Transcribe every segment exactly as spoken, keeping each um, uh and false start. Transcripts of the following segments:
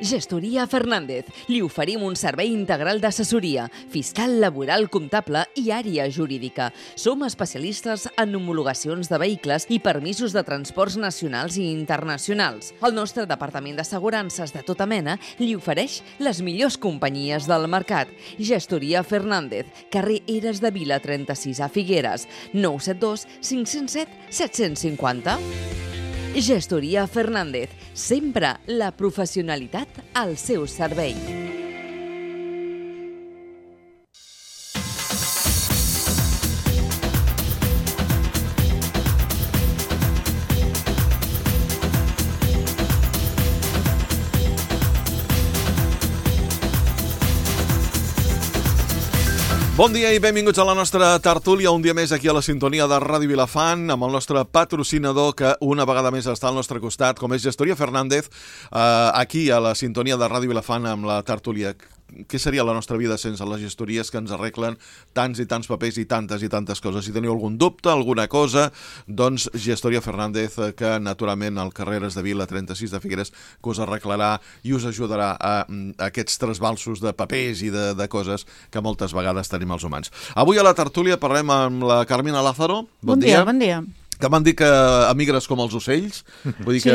Gestoria Fernández. Li oferim un servei integral d'assessoria, fiscal, laboral, comptable i àrea jurídica. Som especialistes en homologacions de vehicles i permisos de transports nacionals i internacionals. El nostre departament d'assegurances de tota mena li ofereix les millors companyies del mercat. Gestoria Fernández, carrer Eres de Vila trenta-sis a Figueres, nou set dos cinc zero set set cinc zero. Gestoria Fernández, sempre la professionalitat al seu servei. Bon dia i benvinguts a la nostra tertúlia, un dia més aquí a la sintonia de Ràdio Vilafant, amb el nostre patrocinador que una vegada més està al nostre costat, com és Gestoria Fernández, eh, aquí a la sintonia de Ràdio Vilafant amb la tertúlia. Què seria la nostra vida sense les gestories que ens arreglen tants i tants papers i tantes i tantes coses? Si teniu algun dubte, alguna cosa, doncs Gestoria Fernández, que naturalment al carrer Eres de Vila trenta-sis de Figueres, que us arreglarà i us ajudarà a, a aquests trasbalsos de papers i de, de coses que moltes vegades tenim els humans. Avui a la tertúlia parlem amb la Carmina Lázaro. Bon, bon dia, dia, bon dia. Que m'han dit que emigres com els ocells, vull dir sí. que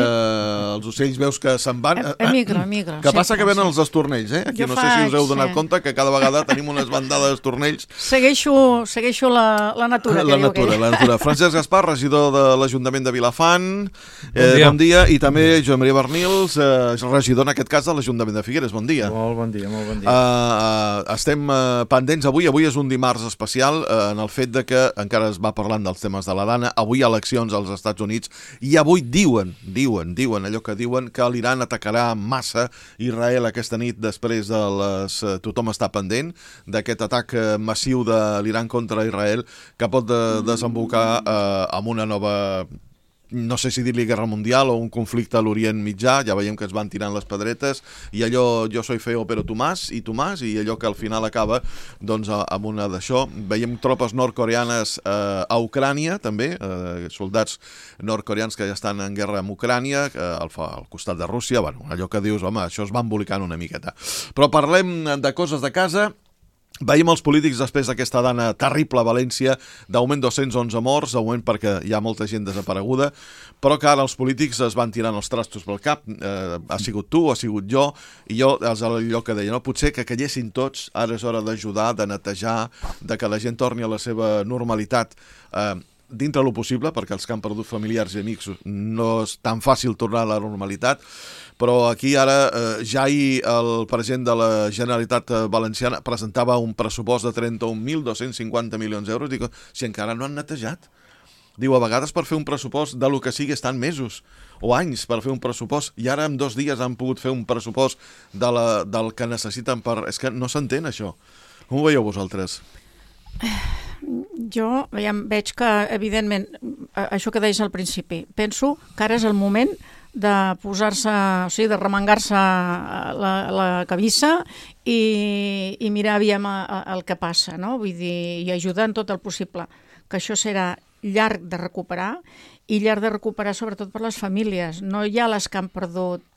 els ocells veus que se'n van... Emigro, emigro. Que passa sí, que venen sí. els estornells, eh? Aquí jo no faig, sé si us heu donat sí. compte que cada vegada tenim unes bandades d'estornells. Segueixo, segueixo la, la natura, la que natura, diu la natura. Francesc Gaspar, regidor de l'Ajuntament de Vilafant. Bon dia. Eh, bon dia. I també Joan Maria Bernils, eh, regidor en aquest cas de l'Ajuntament de Figueres. Bon dia. Molt bon dia, molt bon dia. Uh, estem uh, pendents avui, avui és un dimarts especial uh, en el fet de que encara es va parlant dels temes de la Dana, avui hi ha eleccions als Estats Units i avui diuen, diuen, diuen allò que diuen que l'Iran atacarà massa Israel aquesta nit després de les... tothom està pendent d'aquest atac massiu de l'Iran contra Israel que pot de, desembocar eh, amb una nova... no sé si dir-li guerra mundial o un conflicte a l'Orient Mitjà, ja veiem que es van tirant les pedretes i allò jo soy feo però tu más i tu más i allò que al final acaba doncs amb una d'això. Veiem tropes nord-coreanes eh, a Ucrània també, eh, soldats nord-coreans que ja estan en guerra amb Ucrània eh, al, al costat de Rússia, bueno, allò que dius, home, això es va embolicant una miqueta. Però parlem de coses de casa. Veiem els polítics després d'aquesta dana terrible a València, d'augment dos-cents onze morts, augment perquè hi ha molta gent desapareguda, però que ara els polítics es van tirant els trastos pel cap, eh, ha sigut tu, ha sigut jo, i jo, és allò que deia, no? Potser que callessin tots, ara és hora d'ajudar, de netejar, de que la gent torni a la seva normalitat, eh, dintre lo possible, perquè els que han perdut familiars i amics no és tan fàcil tornar a la normalitat, però aquí ara eh, ja ahir el president de la Generalitat Valenciana presentava un pressupost de trenta-un mil dos-cents cinquanta milions d'euros. Dic, si encara no han netejat. Diu, a vegades per fer un pressupost de lo que sigui estan mesos o anys per fer un pressupost i ara en dos dies han pogut fer un pressupost de la, del que necessiten per... És que no s'entén això. Com ho veieu vosaltres? Jo veiem, veig que, evidentment, això que deies al principi, penso que ara és el moment de posar-se, o sigui, de remengar-se la, la cabissa i, i mirar aviam el que passa, no? Vull dir, i ajudar en tot el possible, que això serà llarg de recuperar i llarg de recuperar sobretot per les famílies. No hi ha les que han perdut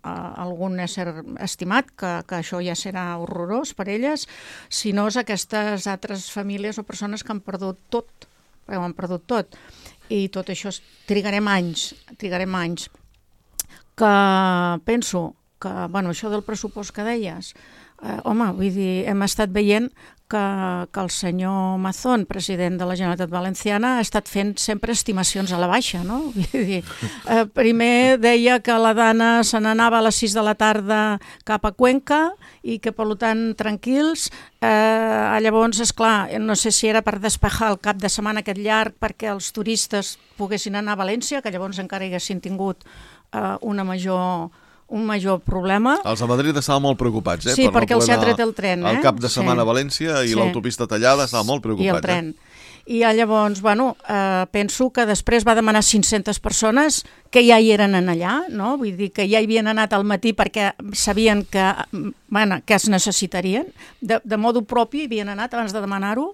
algun ésser estimat, que, que això ja serà horrorós per elles, sinó és aquestes altres famílies o persones que han perdut tot, que ho han perdut tot, i tot això trigarem anys, trigarem anys, que penso que, bueno, això del pressupost que deies, eh, home, vull dir, hem estat veient que, que el senyor Mazón, president de la Generalitat Valenciana, ha estat fent sempre estimacions a la baixa, no? Vull dir, eh, primer deia que la Dana se n'anava a les sis de la tarda cap a Cuenca i que, per tant, tranquils. Eh, llavors, esclar, no sé si era per despejar el cap de setmana aquest llarg perquè els turistes poguessin anar a València, que llavors encara haguessin tingut eh, una major... un major problema. Els de Madrid estaven molt preocupats, eh? Sí, per perquè no els ha tret el tren, eh? El cap de setmana sí. a València i sí. l'autopista tallada, estaven molt preocupats. I el tren. Eh? I llavors, bueno, eh, penso que després va demanar cinc-centes persones que ja hi eren en allà, no? Vull dir que ja hi havien anat al matí perquè sabien que, bueno, que es necessitarien. De, de modo propi havien anat abans de demanar-ho.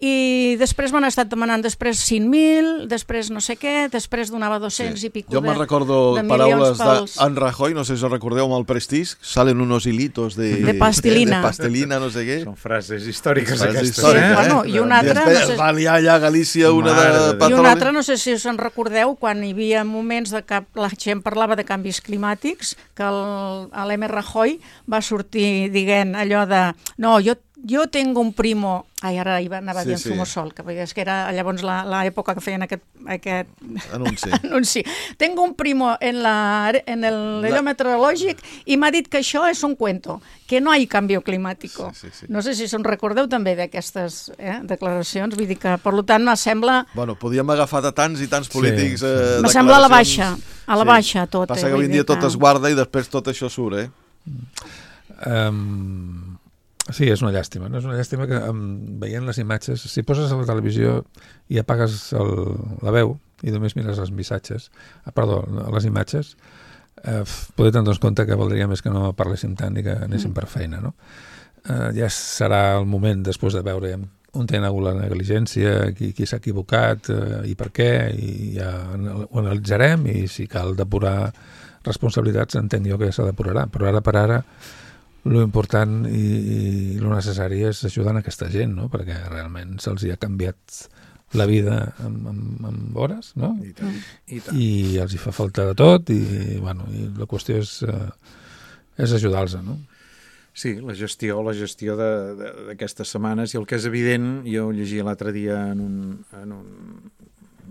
i després m'han estat demanant després cinc mil, després no sé què, després donava dos-cents Sí. i pico Jo de, me'n recordo de paraules milions pels... d'en Rajoy, no sé si us recordeu amb el Prestige, salen unos hilitos de... De pastelina. De pastelina, no sé què. Són frases històriques Frases aquestes, històriques, eh? bueno, i una altra, Després no sé- va liar allà a Galícia una Mare de de Déu. I petroli. una altra, no sé si us en recordeu, quan hi havia moments de que la gent parlava de canvis climàtics, que l'M. Rajoy va sortir dient allò de no, jo, jo tengo un primo... Ai, ara hi va, anava Sí, dient sí. Zumosol, que és que era llavors l'època que feien aquest, aquest Anunci. anunci. Tengo un primo en, la, en el allò meteorològic i m'ha dit que això és un cuento, que no hi ha canvi climàtic. Sí, sí, sí. No sé si se'n recordeu també d'aquestes eh, declaracions, vull dir que, per tant, me sembla... Bueno, podíem agafar de tants i tants polítics... Sí, sí. Eh, Me sembla a la declaracions. baixa, a la baixa tot. Passa eh, que avui vull en dia dir tot es guarda i després tot això surt, eh? Um, sí, és una llàstima. No? És una llàstima que um, veient les imatges, si poses a la televisió i apagues el, la veu i només mires els missatges, ah, perdó, les imatges, eh, poder tenir en compte que valdria més que no parléssim tant i que anéssim per feina. No? Eh, ja serà el moment, després de veure on té hagut la negligència, qui, qui s'ha equivocat eh, i per què, i ja ho analitzarem, i si cal depurar responsabilitats, entenc jo que ja se depurarà, però ara per ara lo important i, i lo necessari és ajudar a aquesta gent, no? Perquè realment se'ls hi ha canviat la vida en, en, en hores, no? I tant, i tant. I els hi fa falta de tot i, bueno, i la qüestió és, eh, és ajudar-los, no? Sí, la gestió, la gestió de- de- d'aquestes setmanes, i el que és evident, jo llegia l'altre dia en un, en un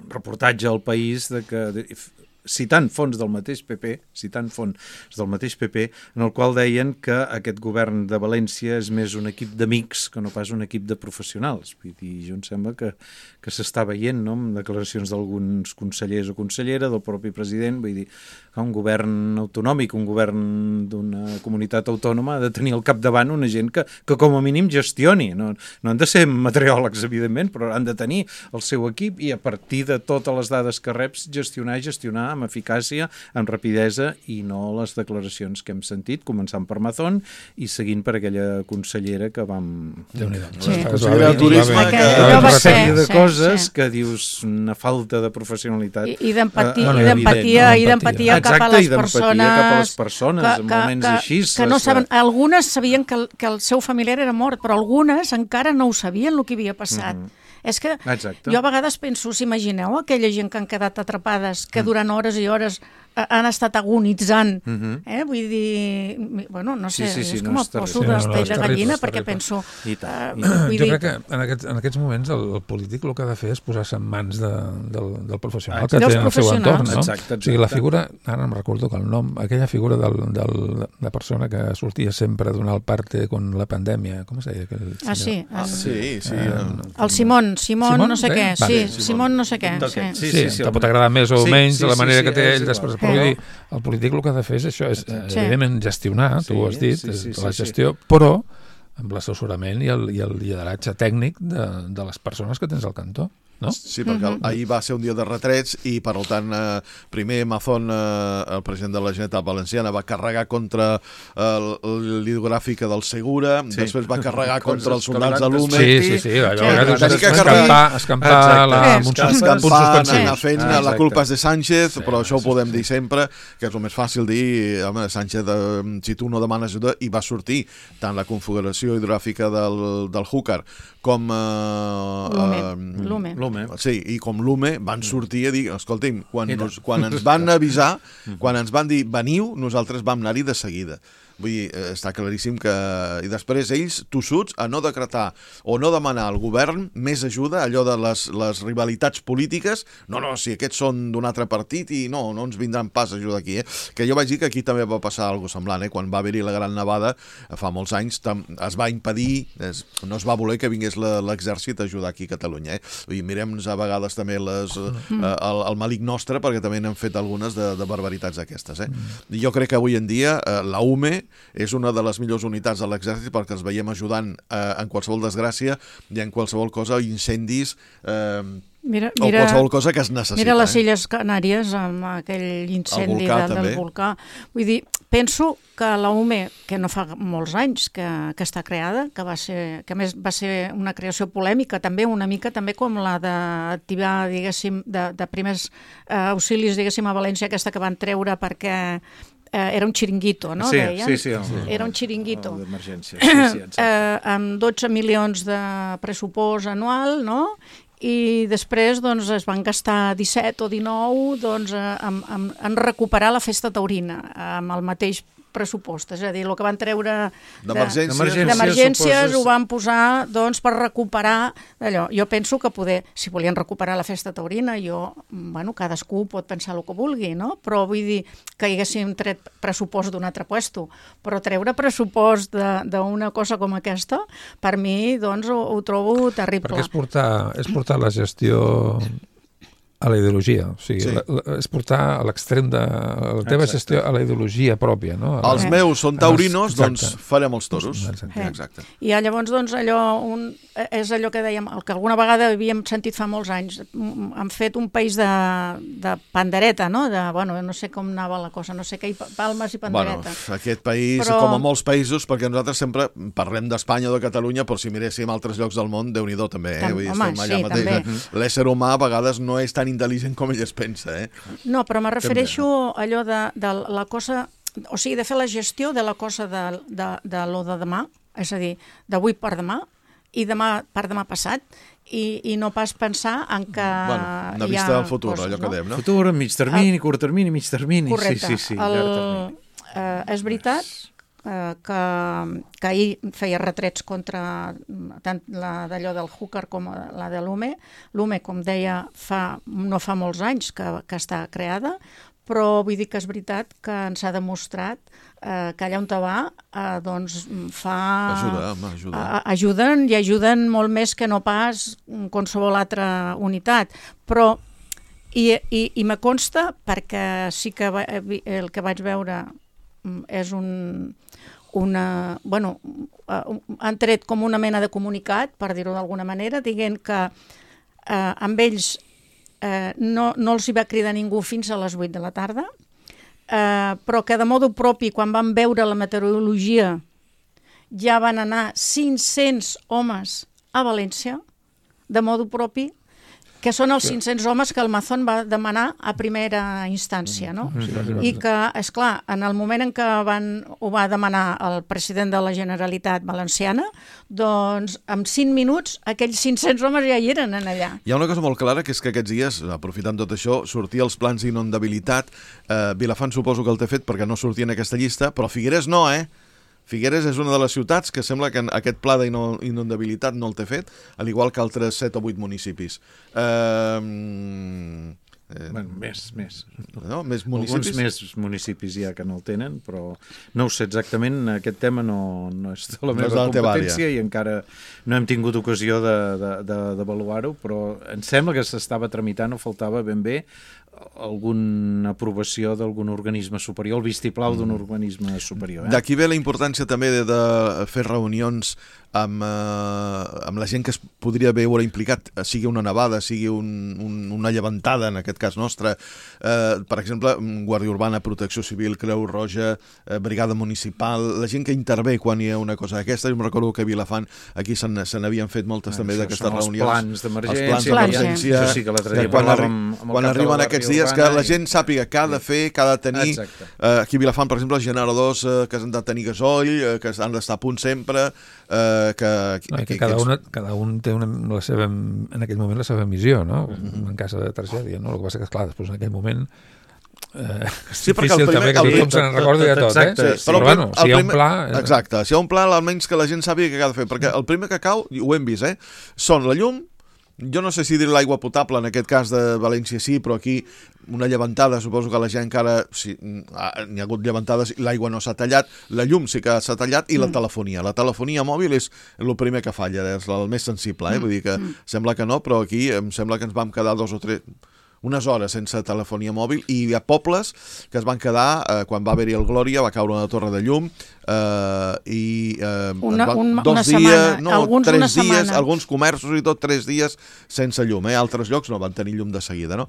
reportatge al País de que, de, citant fons del mateix P P, citant fons del mateix P P, en el qual deien que aquest govern de València és més un equip d'amics que no pas un equip de professionals. Vull dir, jo em sembla que, que s'està veient, no?, amb declaracions d'alguns consellers o consellera, del propi president, vull dir, que un govern autonòmic, un govern d'una comunitat autònoma ha de tenir al capdavant una gent que, que com a mínim gestioni. No, no han de ser meteoròlegs, evidentment, però han de tenir el seu equip i a partir de totes les dades que reps gestionar i gestionar amb eficàcia, amb rapidesa, i no les declaracions que hem sentit, començant per Mazón i seguint per aquella consellera que vam... Déu-n'hi-do. Sí. Consellera de Turisme, que- que, allò va una ser, sèrie de sí, coses sí. que dius una falta de professionalitat. I, i d'empatia, eh, i d'empatia, evident, i no? d'empatia cap a Exacte, les i d'empatia persones, cap a les persones, que, en que, moments que, així. que no les- saben, algunes sabien que el, que el seu familiar era mort, però algunes encara no ho sabien el que havia passat. Mhm. És que Exacte. jo a vegades penso, si imagineu aquella gent que han quedat atrapades, que durant hores i hores eh, han estat agonitzant, Mhm. eh? vull dir, mi- bueno, no sé, Sí, sí, sí, és no, com és el poso terrible. de Sí, no, no, pell és de terrible, gallina, és perquè terrible. penso... I tant, eh, i tant. vull Jo dir, crec que en aquests, en aquests moments el, el polític el que ha de fer és posar-se en mans de, del, del professional que Dels té en el seu professionals. entorn, no? Exacte, O sigui, la exacte. figura, ara em recordo que el nom, aquella figura del, del, de persona que sortia sempre a donar el parte con la pandèmia, com es deia? Aquell Ah, sí, senyor? Ah, el, sí, sí. Eh, eh. el Simón, Simón, Simón, no sé sí? què, Vale, sí, Simón. Simón no sé què, Ok, sí. sí. Sí, sí, te pot agradar més o Sí, menys sí, de la sí, manera sí, que té és ell després, igual. però vull Sí. dir, el polític el que ha de fer és això, és eh, Sí. evidentment gestionar, Sí, tu ho has dit, sí, sí, és sí, la sí. gestió, però amb l'assessorament i, el, i el lideratge tècnic de, de les persones que tens al cantó, no? Sí, perquè Mhm. ahir va ser un dia de retrets i, per tant, eh, primer Mazón, eh, el president de la Generalitat Valenciana, va carregar contra eh, l'hidrogràfica del Segura, Sí. després va carregar Coses contra els que soldats li de van l'Ume. Sí, sí, sí, allò Sí, a vegades tenir és que escampar, carregar- escampar Exacte. la, amb un, Escampar- sus- amb un Escampar, suspensiu. anar fent, Ah, la exacte. culpa és de Sánchez, Sí, però això ho sí, podem sí. dir sempre, que és el més fàcil dir, home, Sánchez, eh, si tu no demanes ajuda, i va sortir tant la configuració hidrogràfica del, del Júcar com... Eh, L'Ume, eh, l'Ume. L'Ume. Sí, i com l'Ume van sortir a dir, escolti'm, quan, I tant. nos, quan ens van avisar, quan ens van dir veniu, nosaltres vam anar-hi de seguida. Vull dir, eh, està claríssim que... I després ells, tossuts, a no decretar o no demanar al govern més ajuda, allò de les, les rivalitats polítiques, no, no, si aquests són d'un altre partit i no, no ens vindran pas a ajudar aquí, eh? Que jo vaig dir que aquí també va passar alguna cosa semblant, eh? Quan va haver-hi la Gran Nevada, fa molts anys, tam, es va impedir, es, no es va voler que vingués la- l'exèrcit a ajudar aquí a Catalunya, eh? Vull dir, mirem-nos a vegades també les, eh, el, el malic nostre, perquè també n'han fet algunes de, de barbaritats d'aquestes, eh? I jo crec que avui en dia eh, la UME és una de les millors unitats de l'exèrcit perquè els veiem ajudant eh, en qualsevol desgràcia i en qualsevol cosa, incendis eh, Mira, o mira, qualsevol cosa que es necessita. mira les eh? Illes Canàries amb aquell incendi volcà, de, també. del volcà. Vull dir, penso que la U M E, que no fa molts anys que, que està creada, que, va ser, que a més va ser una creació polèmica també, una mica també com la d'activar, diguéssim, de, de primers eh, auxilis, diguéssim, a València, aquesta que van treure perquè eh, era un xiringuito, no? Sí, Deien? sí, sí. El, era un xiringuito. D'emergència, sí, sí, exacte. eh, amb dotze milions de pressupost anual, no? I després doncs, es van gastar disset o dinou doncs, en, en, en recuperar la festa taurina amb el mateix pressupost, és a dir, el que van treure d'emergències, d'emergències ho van posar doncs, per recuperar allò. Jo penso que poder, si volien recuperar la festa taurina, jo, bueno, cadascú pot pensar el que vulgui, no? Però vull dir que hi haguéssim tret pressupost d'un altre puesto, però treure pressupost d'una cosa com aquesta, per mi, doncs, ho, ho trobo terrible. Perquè és portar, és portar la gestió a la ideologia, o sigui, sí. la, la, és portar a l'extrem de la teva Exacte. Gestió a la ideologia pròpia, no? A els la... meus són taurinos, Exacte. Doncs farem els toros. Exacte. Exacte. I llavors, doncs, allò, un, és allò que dèiem, el que alguna vegada havíem sentit fa molts anys, han fet un país de, de pandereta, no? De, bueno, no sé com anava la cosa, no sé què, palmes i pandereta. Bueno, aquest país, però... com a molts països, perquè nosaltres sempre parlem d'Espanya o de Catalunya, però si miréssim altres llocs del món, Déu-n'hi-do també, eh? Tam, Vull dir, home, estem allà sí, mateix. també. L'ésser humà a vegades no és tan intel·ligent com ell es pensa, eh? No, però me refereixo a allò de, de la cosa, o sigui, de fer la gestió de la cosa de, de, de lo de demà, és a dir, d'avui per demà, i demà per demà passat, i, i no pas pensar en que bueno, una vista del futur, coses, allò que dèiem, no? Futur, mig termini, el... curt termini, mig termini. Correcte. Sí, sí, sí, el, llarg termini. Eh, és veritat eh, que, que ahir feia retrets contra tant la d'allò del Hooker com la de l'U M E. L'U M E, com deia, fa, no fa molts anys que, que està creada, però vull dir que és veritat que ens ha demostrat eh, que allà on te va eh, doncs fa... Ajuda, home, ajuda. Eh, ajuden i ajuden molt més que no pas qualsevol altra unitat. Però, i, i, i me consta, perquè sí que va, el que vaig veure és un... una, bueno, han tret com una mena de comunicat, per dir-ho d'alguna manera, dient que eh, amb ells eh, no, no els hi va cridar ningú fins a les vuit de la tarda, eh, però que de modo propi, quan van veure la meteorologia, ja van anar cinc-cents homes a València, de modo propi, que són els cinc-cents homes que el Mazón va demanar a primera instància, no? I que, esclar, en el moment en què van, ho va demanar el president de la Generalitat Valenciana, doncs en cinc minuts aquells cinc-cents homes ja hi eren en allà. Hi ha una cosa molt clara, que és que aquests dies, aprofitant tot això, sortia els plans d'inundabilitat. Eh, Vilafant suposo que el té fet perquè no sortia en aquesta llista, però Figueres no, eh? Figueres és una de les ciutats que sembla que aquest pla d'inundabilitat no el té fet, al igual que altres set o vuit municipis. Eh, eh, bueno, més, més. No? Més municipis? Alguns més municipis ja que no el tenen, però no ho sé exactament, aquest tema no, no és de la meva no competència i encara no hem tingut ocasió d'avaluar-ho, però em sembla que s'estava tramitant o faltava ben bé alguna aprovació d'algun organisme superior, el vistiplau d'un organisme superior. Eh? D'aquí ve la importància també de, de fer reunions amb, eh, amb la gent que es podria veure implicat, sigui una nevada, sigui un, un, una llevantada, en aquest cas nostre. Eh, per exemple, Guàrdia Urbana, Protecció Civil, Creu Roja, eh, Brigada Municipal, la gent que intervé quan hi ha una cosa d'aquesta. Jo em recordo que a Vilafant aquí se n'havien fet moltes ah, també d'aquestes reunions. Els plans d'emergència. Els plans d'emergència. Això sí que l'altre dia quan parlàvem arri amb el quan arriben aquests dies que la gent sàpiga què ha de fer, què ha de tenir. Eh, aquí a Vilafant, per exemple, els generadors eh, que han de tenir gasoll, eh, que han d'estar a punt sempre, eh, que... No, que, que cada, una, cada un té una, la seva, en aquell moment la seva missió, no? Mm-hmm. En cas de tragèdia, no? El que passa que, esclar, després en aquell moment eh, és sí, difícil primer, també que tothom se'n recordi de tot, exacte, eh? Sí, però, però bueno, si hi ha un pla... Eh... Exacte, si hi ha un pla, almenys que la gent sàpiga què ha de fer, perquè el primer que cau, ho hem vist, eh? Són la llum. Jo no sé si dir l'aigua potable, en aquest cas de València sí, però aquí una llevantada, suposo que la gent encara... Sí, n'hi ha hagut llevantades, l'aigua no s'ha tallat, la llum sí que s'ha tallat i la telefonia. La telefonia mòbil és el primer que falla, és el més sensible, eh? Vull dir que sembla que no, però aquí em sembla que ens vam quedar dos o tres... unes hores sense telefonia mòbil, i hi ha pobles que es van quedar, eh, quan va haver-hi el Glòria, va caure una torre de llum, eh, i eh, una, va, un, dos una dies, setmana, no, alguns tres una dies, setmana. alguns comerços i tot, tres dies sense llum, eh? Altres llocs no van tenir llum de seguida, no?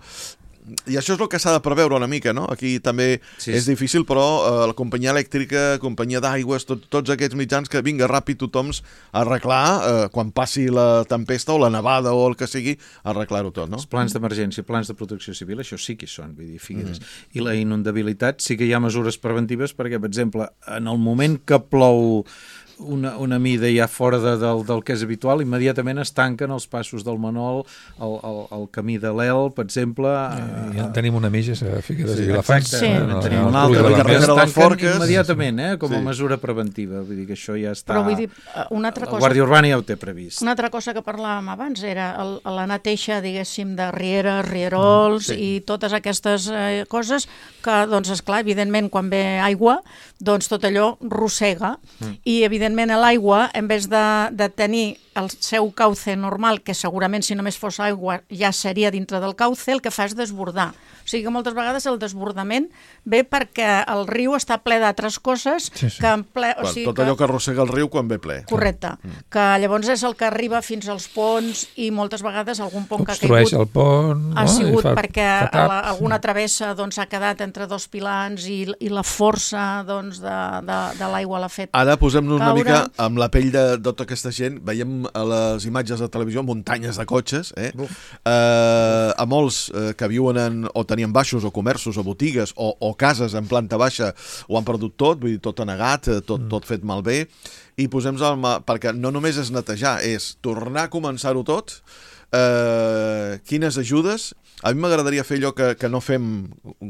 I això és el que s'ha de preveure una mica, no? Aquí també sí, és difícil, però eh, la companyia elèctrica, companyia d'aigües, tot, tots aquests mitjans que vinga ràpid tothom a arreglar eh, quan passi la tempesta o la nevada o el que sigui, arreglar-ho tot, no? Els plans d'emergència, plans de protecció civil, això sí que hi són, vull dir, figueres. Mm. I la inundabilitat sí que hi ha mesures preventives perquè, per exemple, en el moment que plou una, una mida ja fora de, del, del que és habitual, immediatament es tanquen els passos del Manol, el, el, el camí de l'El, per exemple. Eh, ja tenim una mitja a Figueres sí, i Vilafranca. Sí, no, no, tenim no, una altra, la carretera de les Forques. Immediatament, eh, com a sí. mesura preventiva. Vull dir que això ja està... Però vull dir, una altra cosa... La Guàrdia Urbana ja ho té previst. Una altra cosa que parlàvem abans era el, la neteja, diguéssim, de rieres, rierols mm, sí. i totes aquestes eh, coses que, doncs, esclar, evidentment, quan ve aigua, doncs tot allò rossega mm. i, evidentment, l'aigua, en vez de, de tenir el seu cauce normal, que segurament si només fos aigua ja seria dintre del cauce, el que fa és desbordar. O sigui que moltes vegades el desbordament ve perquè el riu està ple d'altres coses sí, sí. que en ple... O sigui tot que... allò que arrossega el riu quan ve ple. Correcte. Mm. Que llavors és el que arriba fins als ponts i moltes vegades algun pont que ha caigut... Obstrueix el pont... Ha no? sigut fa, perquè fa la, alguna travessa doncs, ha quedat entre dos pilans i, i la força doncs, de, de, de l'aigua l'ha fet Ara posem-nos una caure. mica amb la pell de, de tota aquesta gent. Veiem a les imatges de televisió muntanyes de cotxes, eh? eh a molts eh, que viuen en, o tenien baixos o comerços o botigues o, o cases en planta baixa ho han perdut tot, vull dir, tot anegat, tot, mm. tot fet malbé, i posem-nos al mà, perquè no només és netejar, és tornar a començar-ho tot, eh, quines ajudes. A mi m'agradaria fer allò que, que no fem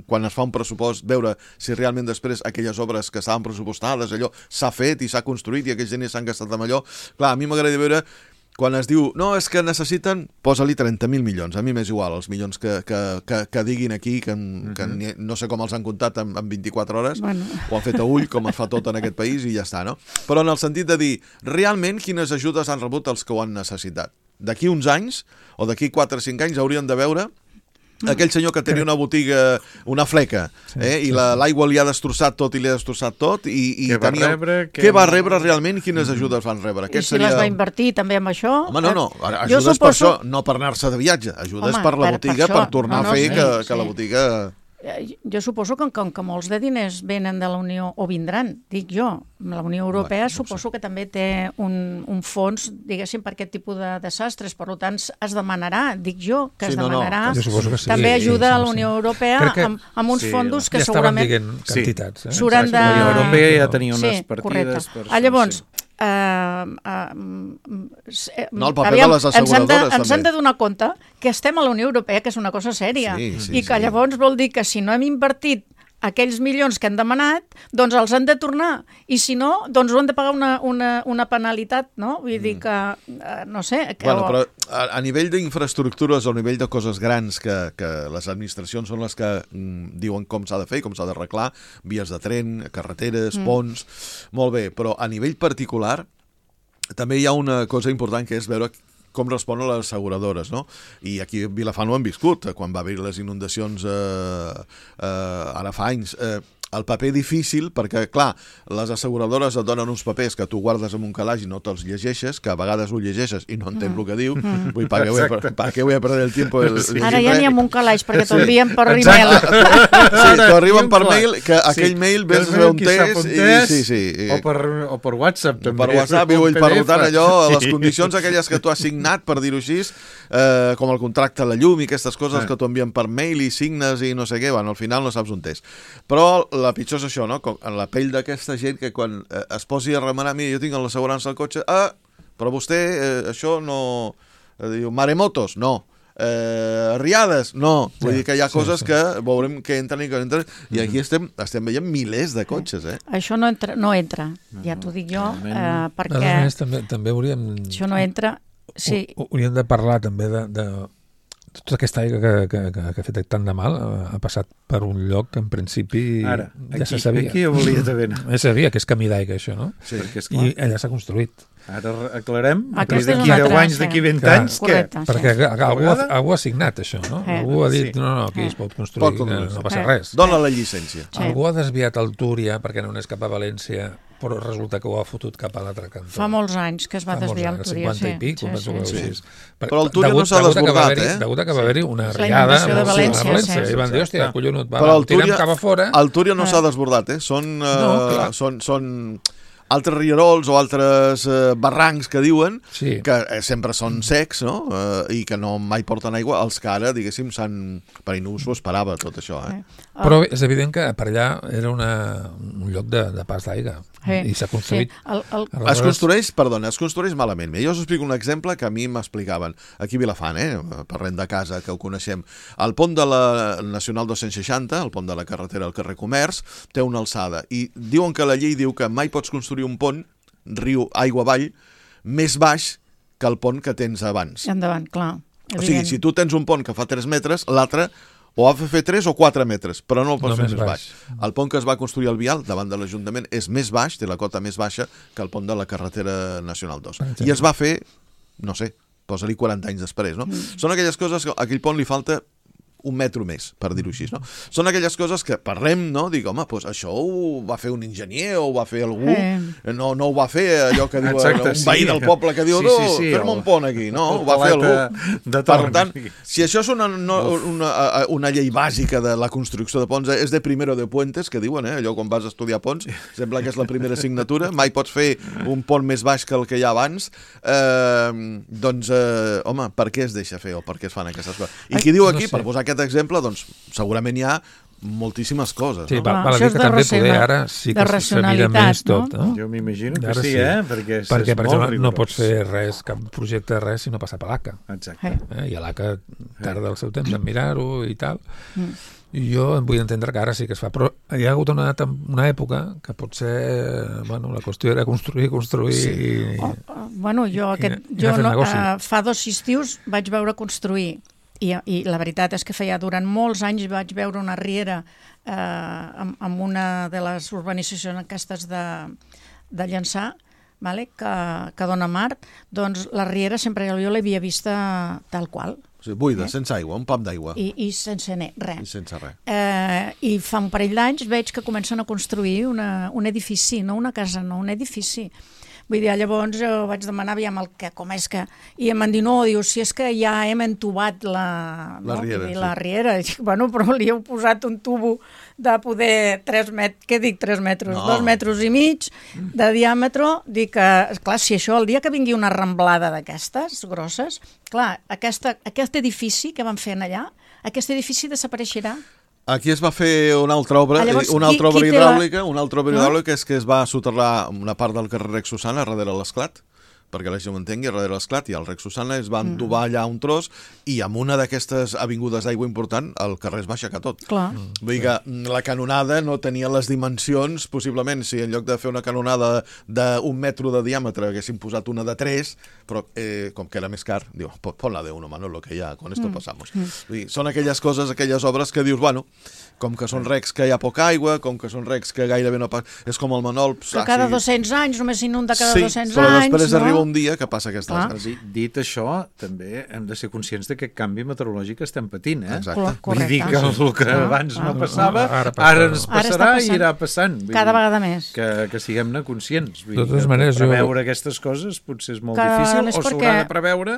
quan es fa un pressupost, veure si realment després aquelles obres que estaven pressupostades, allò s'ha fet i s'ha construït i aquells diners s'han gastat amb allò. Clar, a mi m'agradaria veure quan es diu, no, és que necessiten, posa-li trenta mil milions, a mi m'és igual els milions que, que, que, que diguin aquí, que, que uh-huh. no sé com els han comptat en, en vint-i-quatre hores, bueno. Ho han fet a ull, com es fa tot en aquest país i ja està, no? Però en el sentit de dir, realment quines ajudes han rebut els que ho han necessitat? D'aquí uns anys, o d'aquí quatre o cinc anys, haurien de veure aquell senyor que tenia una botiga, una fleca, eh, i l'aigua li ha destrossat tot i li ha destrossat tot, i, i què va tenia... rebre? Què va rebre realment? Quines ajudes van rebre? I si seria... les va invertir també amb això? Home, no, no, ajudes suposo... per això, no per anar-se de viatge, ajudes Home, per la botiga, per, per tornar no, no, a fer sí, que, sí. que la botiga... Jo suposo que, com que molts de diners venen de la Unió, o vindran, dic jo, la Unió Europea bueno, no suposo sé. que també té un, un fons, diguéssim, per aquest tipus de desastres, per tant es demanarà, dic jo, que sí, es demanarà no, no. Que sí. també ajuda sí, sí, a la Unió sí. Europea que, amb, amb uns sí, fondos que ja segurament... Ja estaven dient quantitats. Eh? S'hauran de... La Unió Europea ja tenia unes sí, partides... Per... Ah, llavors... Uh, uh, no, el paper aviam, de les asseguradores ens, ens han de donar compte que estem a la Unió Europea, que és una cosa sèria, sí, sí, i que sí. llavors vol dir que si no hem invertit aquells milions que han demanat, doncs els han de tornar, i si no, doncs ho han de pagar una, una, una penalitat, no? Vull dir que, uh, no sé... Que... Bueno, però a, a nivell d'infraestructures o a nivell de coses grans que, que les administracions són les que mm, diuen com s'ha de fer, com s'ha d'arreglar, vies de tren, carreteres, mm. ponts, molt bé, però a nivell particular també hi ha una cosa important que és veure com responen les asseguradores, no? I aquí a Vilafant ho hem viscut, quan va haver les inundacions eh, eh, ara fa anys. Eh, el paper difícil, perquè, clar, les asseguradores et donen uns papers que tu guardes en un calaix i no te'ls llegeixes, que a vegades ho llegeixes i no entens mm. el que diu. Mm. Vull, per què voy, per, què voy a perder el tiempo? El, sí. Ara ja n'hi ha un calaix, perquè t'envien per e-mail. Sí, t'ho arriben per mail, que aquell sí. mail ves on tens, i sí, sí. O per, o per WhatsApp, també. Per WhatsApp, i vull, per tant, allò, les condicions aquelles que tu has signat, per dir-ho així, eh, com el contracte a la llum i aquestes coses que t'ho envien per mail i signes i no sé què, bueno, al final no saps on és. Però la pitjor és això, no? Com en la pell d'aquesta gent que quan eh, es posi a remenar, mira, jo tinc l'assegurança del cotxe, ah, però vostè, eh, això no... Eh, diu, maremotos, no. Eh, riades, no. Vull sí, dir que hi ha sí, coses sí. que veurem que entren i que no entren, i aquí estem, estem veient milers de cotxes, eh? Això no entra, no entra. Ja t'ho dic jo, eh, perquè... A més, també, també hauríem... Això no entra... Sí. Hauríem de parlar també de... de... Tota aquesta aigua que, que, que, que ha fet tant de mal ha passat per un lloc que en principi Ara, ja aquí, se sabia. Aquí jo volia també anar. Ja sabia que és camí d'aigua, això, no? Sí, perquè és clar. I allà s'ha construït. Ara aclarem, d'aquí deu anys, sí. d'aquí vint clar, anys, correcte, què? Sí. Perquè algú, algú ha signat això, no? Eh. Algú ha dit, sí. no, no, aquí es pot construir, pot no, no passa eh. res. Dóna la llicència. Sí. Algú ha desviat el Túria perquè no anés cap a València però resulta que ho ha fotut cap a l'altre cantó. Fa molts anys que es va Fa molts desviar el anys, Túria, cinquanta sí. i pic, sí, penso que sí, ho sí. vist. Per- Però el Túria no degut- s'ha degut a que va desbordat, haver-hi- eh? Degut a que va haver-hi una La riada inundació de a València, València, sí. i van dir, hòstia, Exacte. collonut, va, Però va, el el tirem Túria, cap a fora. el Túria no Ah. s'ha desbordat, eh? Són, eh, No, clar. són, són altres rierols o altres eh, barrancs que diuen Sí. que eh, sempre són secs, no? Eh, I que no mai porten aigua, els que ara, diguéssim, s'han... Per no s'ho esperava, tot això, eh? Però és evident que per allà era una, un lloc de, de pas d'aigua Sí, i s'ha construït. Sí. El, el, Es Aleshores, construeix, perdona, es construeix malament. Mira, jo us explico un exemple que a mi m'explicaven. Aquí a Vilafant, eh? Parlem de casa, que ho coneixem. El pont de la Nacional dos-cents seixanta, el pont de la carretera al carrer Comerç, té una alçada. I diuen que la llei diu que mai pots construir un pont, riu aigua avall, més baix que el pont que tens abans. endavant, clar. O sigui, si tu tens un pont que fa tres metres, l'altre o ha de fer tres o quatre metres, però no el pots No fer més més baix. baix. El pont que es va construir al Vial, davant de l'Ajuntament, és més baix, té la cota més baixa que el pont de la carretera Nacional dos. exemple. I es va fer, no sé, posa-li quaranta anys després, no? Mm. Són aquelles coses que a aquell pont li falta un metro més, per dir-ho així, no? Són aquelles coses que parlem, no? Dic, home, doncs això ho va fer un enginyer o ho va fer algú, Eh. no, no ho va fer allò que diu Exacte, un sí. veí del poble que diu, Sí, no, sí, sí, fer-me el- un pont aquí, no? el Ho va fer paleta algú. de Per torn. tant, si això és una, no, una, una llei bàsica de la construcció de ponts, és de primero de puentes, que diuen, eh? Allò quan vas a estudiar ponts, sembla que és la primera assignatura, mai pots fer un pont més baix que el que hi ha abans, eh, doncs, eh, home, per què es deixa fer o per què es fan aquestes coses? I qui diu no aquí, sé. per posar aquest exemple, doncs segurament hi ha moltíssimes coses, Sí, no? val, Clar, val a això dir és que de també raciona- poder ara sí de que se mira racionalitat, més tot, no? no? Jo m'imagino que Ara sí, sí. eh? Perquè, és, Perquè, és per molt exemple, no rigorós. pots fer res, cap projecte de res, si no passa per l'A C A. Exacte. Eh. Eh? I l'A C A tarda el seu temps en mirar-ho i tal. Mm. I jo em vull entendre que ara sí que es fa, però hi ha hagut una, tem- una època que potser, bueno, la qüestió era construir, construir Sí. i... Oh, oh, bueno, jo, aquest, I anar jo fent no, negoci. uh, fa dos estius vaig veure construir i, i la veritat és que feia durant molts anys vaig veure una riera eh, amb, amb una de les urbanitzacions aquestes de, de Llançà, vale? que, que dona mar, doncs la riera sempre jo l'havia vista tal qual O sigui, buida, sense aigua, un pam d'aigua i, i sense ne, i res. sense res. Eh, I fa un parell d'anys veig que comencen a construir una, un edifici, no una casa, no, un edifici. Vull dir, llavors jo vaig demanar aviam el que, com és que... I em van dir, no, diu, si és que ja hem entubat la, La no? riera, I sí. la riera. I dic, bueno, però li heu posat un tubo de poder tres metres, què dic, tres metres? No. Dos metres i mig de diàmetre. Dic que, clar, si això, el dia que vingui una ramblada d'aquestes grosses, clar, aquesta, aquest edifici que van fer allà, aquest edifici desapareixerà. Aquí es va fer una altra obra, Ah, llavors, una qui- altra obra qui té la- hidràulica, una altra obra hidràulica és que es va soterrar una part del carrer Rex Susana darrere l'esclat, perquè la gent ho entengui, darrere l'esclat i al Rex Susana es va entubar allà un tros i amb una d'aquestes avingudes d'aigua important el carrer es va aixecar tot. Clar. Vull dir que la canonada no tenia les dimensions, possiblement, si en lloc de fer una canonada d'un metro de diàmetre haguessin posat una de tres, però eh, com que era més car, diu, pon-la de uno, Manolo, que ja con esto pasamos. Vull dir, són aquelles coses, aquelles obres que dius, bueno, com que són recs que hi ha poca aigua, com que són recs que gairebé no passa... És com el Manol... Que cada dos-cents anys, només s'inunda cada sí, dos-cents però anys, després no? arriba un dia que passa aquestes Clar. coses. Dit, dit això, també hem de ser conscients de que canvi meteorològic estem patint, eh? Exacte. Cor- Vull dir que correcte. el que Ah, abans ah. no passava, Ara passa. ara ens Ara està passarà i passant. irà passant. Vull Cada dir vegada més. Que, que siguem-ne conscients. Vull De dir totes que maneres, jo- preveure aquestes coses potser és molt Que difícil és o s'haurà perquè- de preveure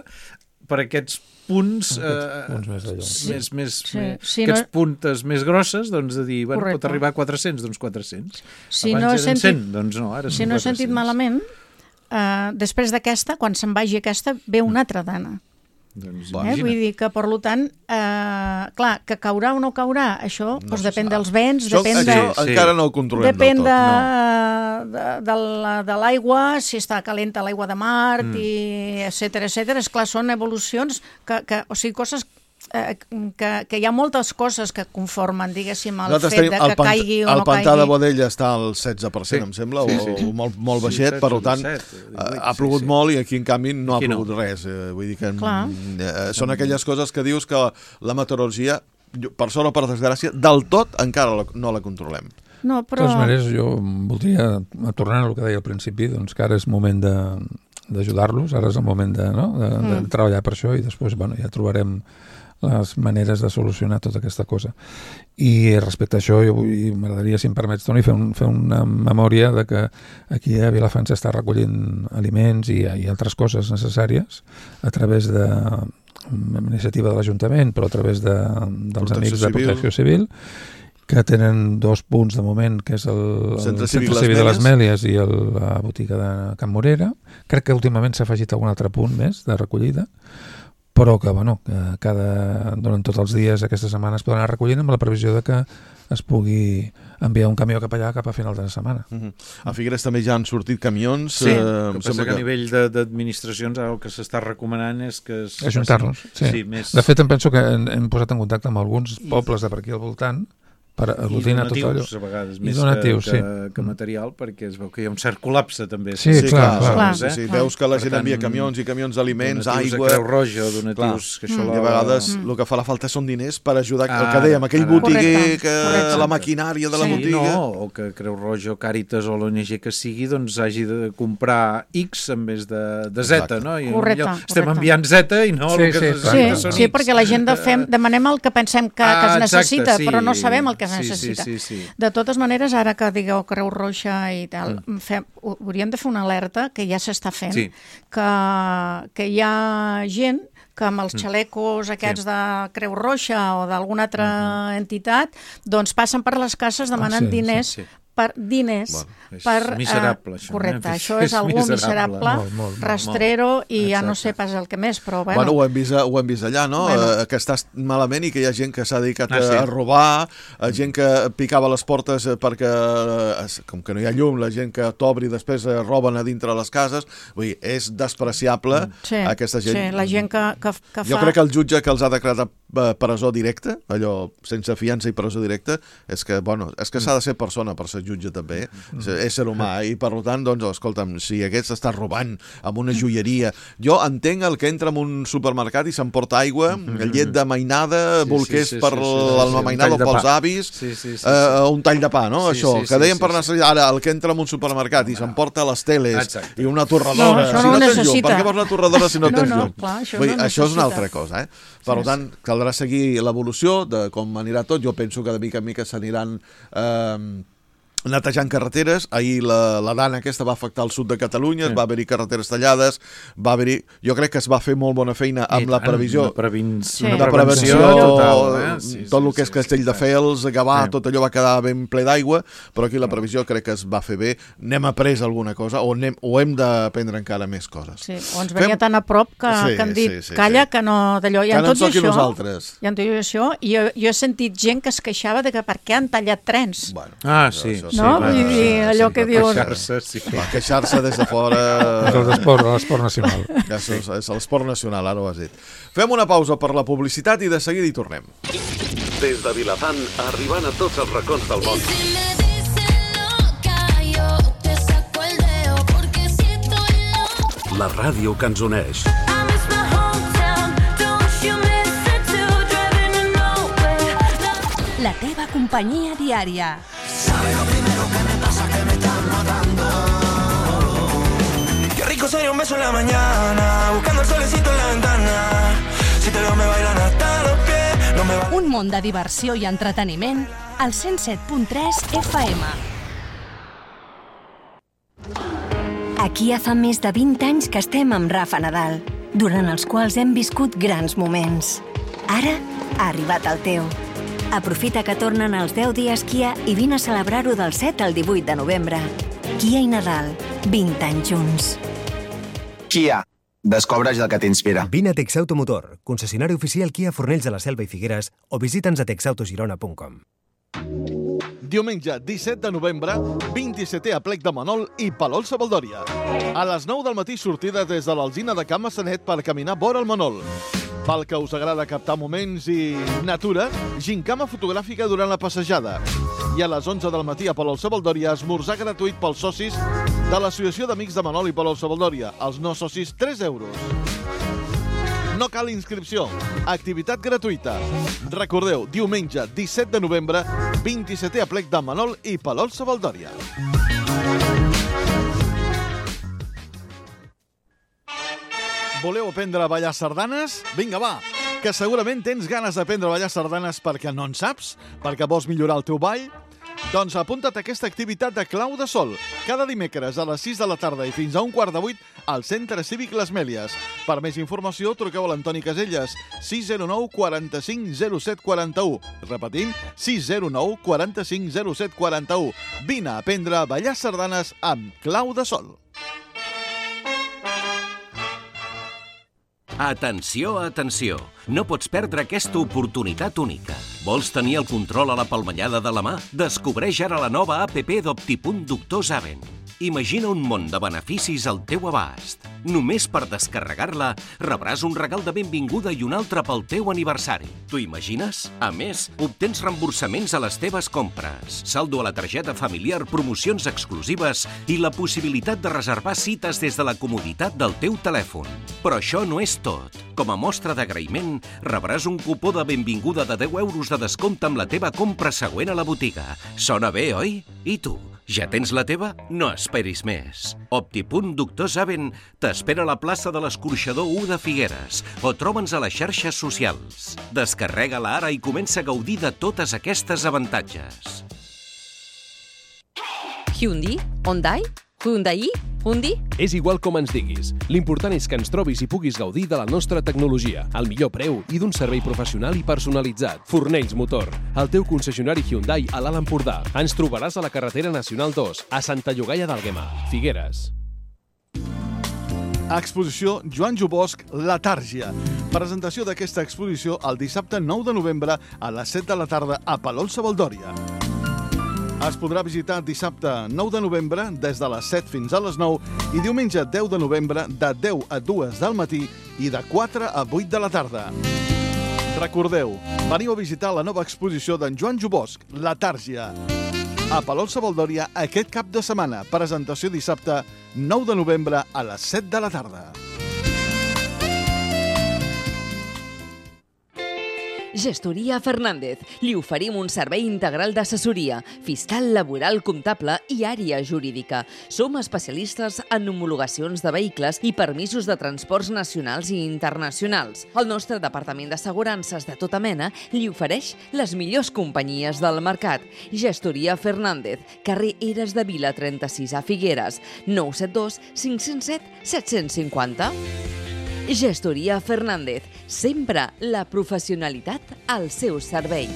per aquests punts, eh, punts més allò. sí. més, més, Sí, més sí, aquests no- puntes més grosses, doncs de dir, bueno, pot Correcte. arribar a quatre-cents, doncs quatre-cents. Si Abans no he eren sentit- cent, doncs no, ara Si són no he sentit quatre-cents. malament, eh, després d'aquesta, quan se'n vagi aquesta, ve una altra dana. Doncs Eh? imagina't. Vull dir que, per tant, eh, clar, que caurà o no caurà, això No doncs se depèn sap. dels vents, Això, depèn de... això Sí. encara no ho controlem Depèn del de, tot. de, de, la- de l'aigua, si està calenta l'aigua de mar, mm. i etcètera, etcètera. Esclar, són evolucions, que, que, o sigui, coses eh, que, que hi ha moltes coses que conformen, diguéssim, el Nosaltres fet tenim de el que pant- caigui o el no pantà caigui. de Bodella està al setze per cent, Sí. em sembla, Sí, o, sí. o molt, molt Sí, baixet, setze, per tant, disset, ha, divuit, ha sí, plogut sí. molt i aquí, en canvi, no Aquí ha no. plogut res. Eh, vull dir que Clar. eh, són aquelles coses que dius que la meteorologia, per sort o per desgràcia, del tot encara la, no la controlem. No, De però... totes maneres, jo voldria, tornant al que deia al principi, doncs que ara és moment de d'ajudar-los, ara és el moment de, no? de, de Mm. treballar per això i després bueno, ja trobarem les maneres de solucionar tota aquesta cosa. I respecte a això, jo vull, m'agradaria, si em permets, Toni, fer, un, fer una memòria de que aquí a Vilafant s'està recollint aliments i, i altres coses necessàries a través de una iniciativa de l'Ajuntament, però a través de, dels Protecció amics de Civil. Protecció Civil, que tenen dos punts de moment, que és el, el Centre Centre Cívic Cívic de Les les Mèlies i el, la botiga de Can Morera. Crec que últimament s'ha afegit algun altre punt més de recollida, però que, bueno, que cada, durant tots els dies aquesta setmana es poden anar recollint amb la previsió de que es pugui enviar un camió cap allà cap a final de la setmana. Uh -huh. A Figueres també ja han sortit camions. Sí, eh, el que passa que a nivell de- d'administracions el que s'està recomanant és que... Es Ajuntar-nos, sí. sí més... De fet, em penso que hem, hem posat en contacte amb alguns pobles de per aquí al voltant per aglutinar tot allò. a vegades, I més donatius, que, sí. que, que material, perquè es veu que hi ha un cert col·lapse també. Sí, Sí, clar, clar, clar. sí, sí. Clar. Veus que la Per gent tant, envia camions i camions d'aliments, donatius aigua... a Creu Roja, donatius... Que això I a vegades el que fa la falta són diners per ajudar, el que Ara, dèiem, aquell ara. botiguer, Correcte, que correcte. la maquinària de la Sí. botiga... No, o que Creu Roja o Càritas o l'O N G que sigui doncs hagi de comprar X en vez de, de Z, Exacte. no? I Correcte, allò, estem correcte. enviant Z i no Sí, el que sí, es clar. Sí, necessita són sí, X. perquè la gent de fem, demanem el que pensem que, que es Ah, exacte, necessita, sí. però no sabem el que es Sí, sí, necessita. sí, sí. De totes maneres, ara que digueu Creu Roja i tal, mm. fem, hauríem de fer una alerta que ja s'està fent, Sí. que, que hi ha gent que amb els xalecos aquests Sí. de Creu Roja o d'alguna altra entitat, doncs passen per les cases demanant sí, sí, diners sí. per diners Bueno, és per, miserable, eh, això, correcte, eh? això És és algú miserable. miserable, Molt, molt, molt. rastrero i ja no Exacte. sé pas el que més, però Bueno, bueno, ho hem vist, ho hem vist allà, no? Bueno. Eh, que estàs malament i que hi ha gent que s'ha dedicat Ah, a, sí. a robar, a gent que picava les portes eh, perquè, eh, com que no hi ha llum, la gent que t'obri i després eh, roben a dintre les cases. Vull dir, és despreciable sí, aquesta gent. sí, la gent que, que, que Jo fa... crec que el jutge que els ha declarat eh, presó directa, allò sense fiança i presó directa, és que, bueno, és que s'ha de ser persona per ser jutge també, és ésser humà, i per tant, doncs, escolta'm, si aquest està robant amb una joieria... Jo entenc el que entra en un supermercat i s'emporta aigua, llet de mainada, Sí, bolquers sí, sí, per sí, sí, sí, la un mainada tall o de pels pa. avis, Sí, sí, sí, eh, sí. un tall de pa, no? Sí, Això, sí, que sí, dèiem sí, per sí. necessitar, ara, el que entra en un supermercat i s'emporta les teles Exacte. i una torradora. No, això si no no ho tens llum, necessita. per què vols una torradora si no, No, tens no, llum? clar, això Vull dir, no això és una necessita. altra cosa, eh? Per tant, caldrà seguir l'evolució de com anirà tot. Jo penso que de mica en mica s'aniran eh, netejant carreteres. Ahir la, la dana aquesta va afectar el sud de Catalunya, sí. Va haver-hi carreteres tallades, va haver-hi... Jo crec que es va fer molt bona feina amb I la tant, previsió Una, previn... Sí. una de prevenció, prevenció, total. Eh? Sí, tot sí, el que és sí, Castell de sí. Fels, Gavà, Sí. tot allò va quedar ben ple d'aigua, però aquí la previsió crec que es va fer bé. N'hem après alguna cosa o, anem, o hem d'aprendre encara més coses. Sí, o ens venia Fem- tan a prop que, Sí, que han dit, sí, sí, calla, sí. que no d'allò. I Que en no tot ens i toqui això, nosaltres. i en tot i això, i jo, jo he sentit gent que es queixava de que per què han tallat trens. Bueno, Ah, sí. això sí, No? clar, Vull dir, sí, allò sí, que per diuen- queixar-se, sí. va queixar-se des de fora... És l'esport, l'esport nacional. Ja és, és l'esport nacional, ara ho has dit. Fem una pausa per la publicitat i de seguida hi tornem. Des de Vilafant, arribant a tots els racons del món. Si me dicen loca, yo te saco el dedo, porque si estoy loca. La ràdio que ens uneix. I miss my hometown, don't you miss it too, driving to nowhere. La teva companyia diària. Qué rico sería un beso en la mañana, buscando el solecito en la ventana. Si te veo me bailan hasta los pies, no me va... Un món de diversió i entreteniment al cent set punt tres F M. Aquí ja fa més de vint anys que estem amb Rafa Nadal, durant els quals hem viscut grans moments. Ara ha arribat el teu. Aprofita que tornen els deu dies Kia i vine a celebrar-ho del set al divuit de novembre. Kia i Nadal, vint anys junts. Kia. Descobreix el que t'inspira. Vine a Texauto Motor, concessionari oficial Kia Fornells de la Selva i Figueres, o visita'ns a texautogirona punt com. Diumenge, disset de novembre, vint-i-setè aplec de Manol i Palol Sabaldòria. A les nou del matí, sortida des de l'Alzina de Can Massanet per caminar vora el Manol. Pel que us agrada captar moments i natura, gincama fotogràfica durant la passejada. I a les onze del matí a Palol Sabaldòria, esmorzar gratuït pels socis de l'Associació d'Amics de Manol i Palol Sabaldòria. Els no socis, tres euros. No cal inscripció. Activitat gratuïta. Recordeu, diumenge, disset de novembre, vint-i-setè aplec de Manol i Palol Sabaldòria. Voleu aprendre a ballar sardanes? Vinga, va! Que segurament tens ganes d'aprendre a ballar sardanes perquè no en saps? Perquè vols millorar el teu ball? Doncs apunta't a aquesta activitat de Clau de Sol. Cada dimecres a les sis de la tarda i fins a un quart de vuit al Centre Cívic Les Mèlies. Per més informació, truqueu a l'Antoni Caselles, sis zero nou quaranta-cinc zero set quaranta-u. Repetim, sis zero nou quaranta-cinc zero set quaranta-u. Vine a aprendre a ballar sardanes amb Clau de Sol. Atenció, atenció! No pots perdre aquesta oportunitat única. Vols tenir el control a la palmellada de la mà? Descobreix ara la nova app d'Optipunt Doctor Saben. Imagina un món de beneficis al teu abast. Només per descarregar-la rebràs un regal de benvinguda i un altre pel teu aniversari. T'ho imagines? A més, obtens reemborsaments a les teves compres, saldo a la targeta familiar, promocions exclusives i la possibilitat de reservar cites des de la comoditat del teu telèfon. Però això no és tot. Com a mostra d'agraïment, rebràs un cupó de benvinguda de deu euros de descompte amb la teva compra següent a la botiga. Sona bé, oi? I tu? Ja tens la teva? No esperis més. Optipunt Doctor Saben t'espera a la plaça de l'Escorxador u de Figueres o troba'ns a les xarxes socials. Descarrega-la ara i comença a gaudir de totes aquestes avantatges. Hyundai? Hyundai? Hyundai? Hyundai? És igual com ens diguis. L'important és que ens trobis i puguis gaudir de la nostra tecnologia, al millor preu i d'un servei professional i personalitzat. Fornells Motor, el teu concessionari Hyundai a l'Alt Empordà. Ens trobaràs a la carretera Nacional dos, a Santa Llogaia d'Àlguema, Figueres. Exposició Joan Jubosc, La Tàrgia. Presentació d'aquesta exposició el dissabte nou de novembre a les set de la tarda a Palol-Savaldòria. Es podrà visitar dissabte nou de novembre des de les set fins a les nou i diumenge deu de novembre de deu a dues del matí i de quatre a vuit de la tarda. Recordeu, veniu a visitar la nova exposició d'en Joan Jubosc, La Tàrgia. A Palol-Savaldòria aquest cap de setmana. Presentació dissabte nou de novembre a les set de la tarda. Gestoria Fernández. Li oferim un servei integral d'assessoria, fiscal, laboral, comptable i àrea jurídica. Som especialistes en homologacions de vehicles i permisos de transports nacionals i internacionals. El nostre departament d'assegurances de tota mena li ofereix les millors companyies del mercat. Gestoria Fernández, carrer Eres de Vila trenta-sis a Figueres, nou set dos cinc zero set set cinc zero. Gestoria Fernández, sempre la professionalitat al seu servei.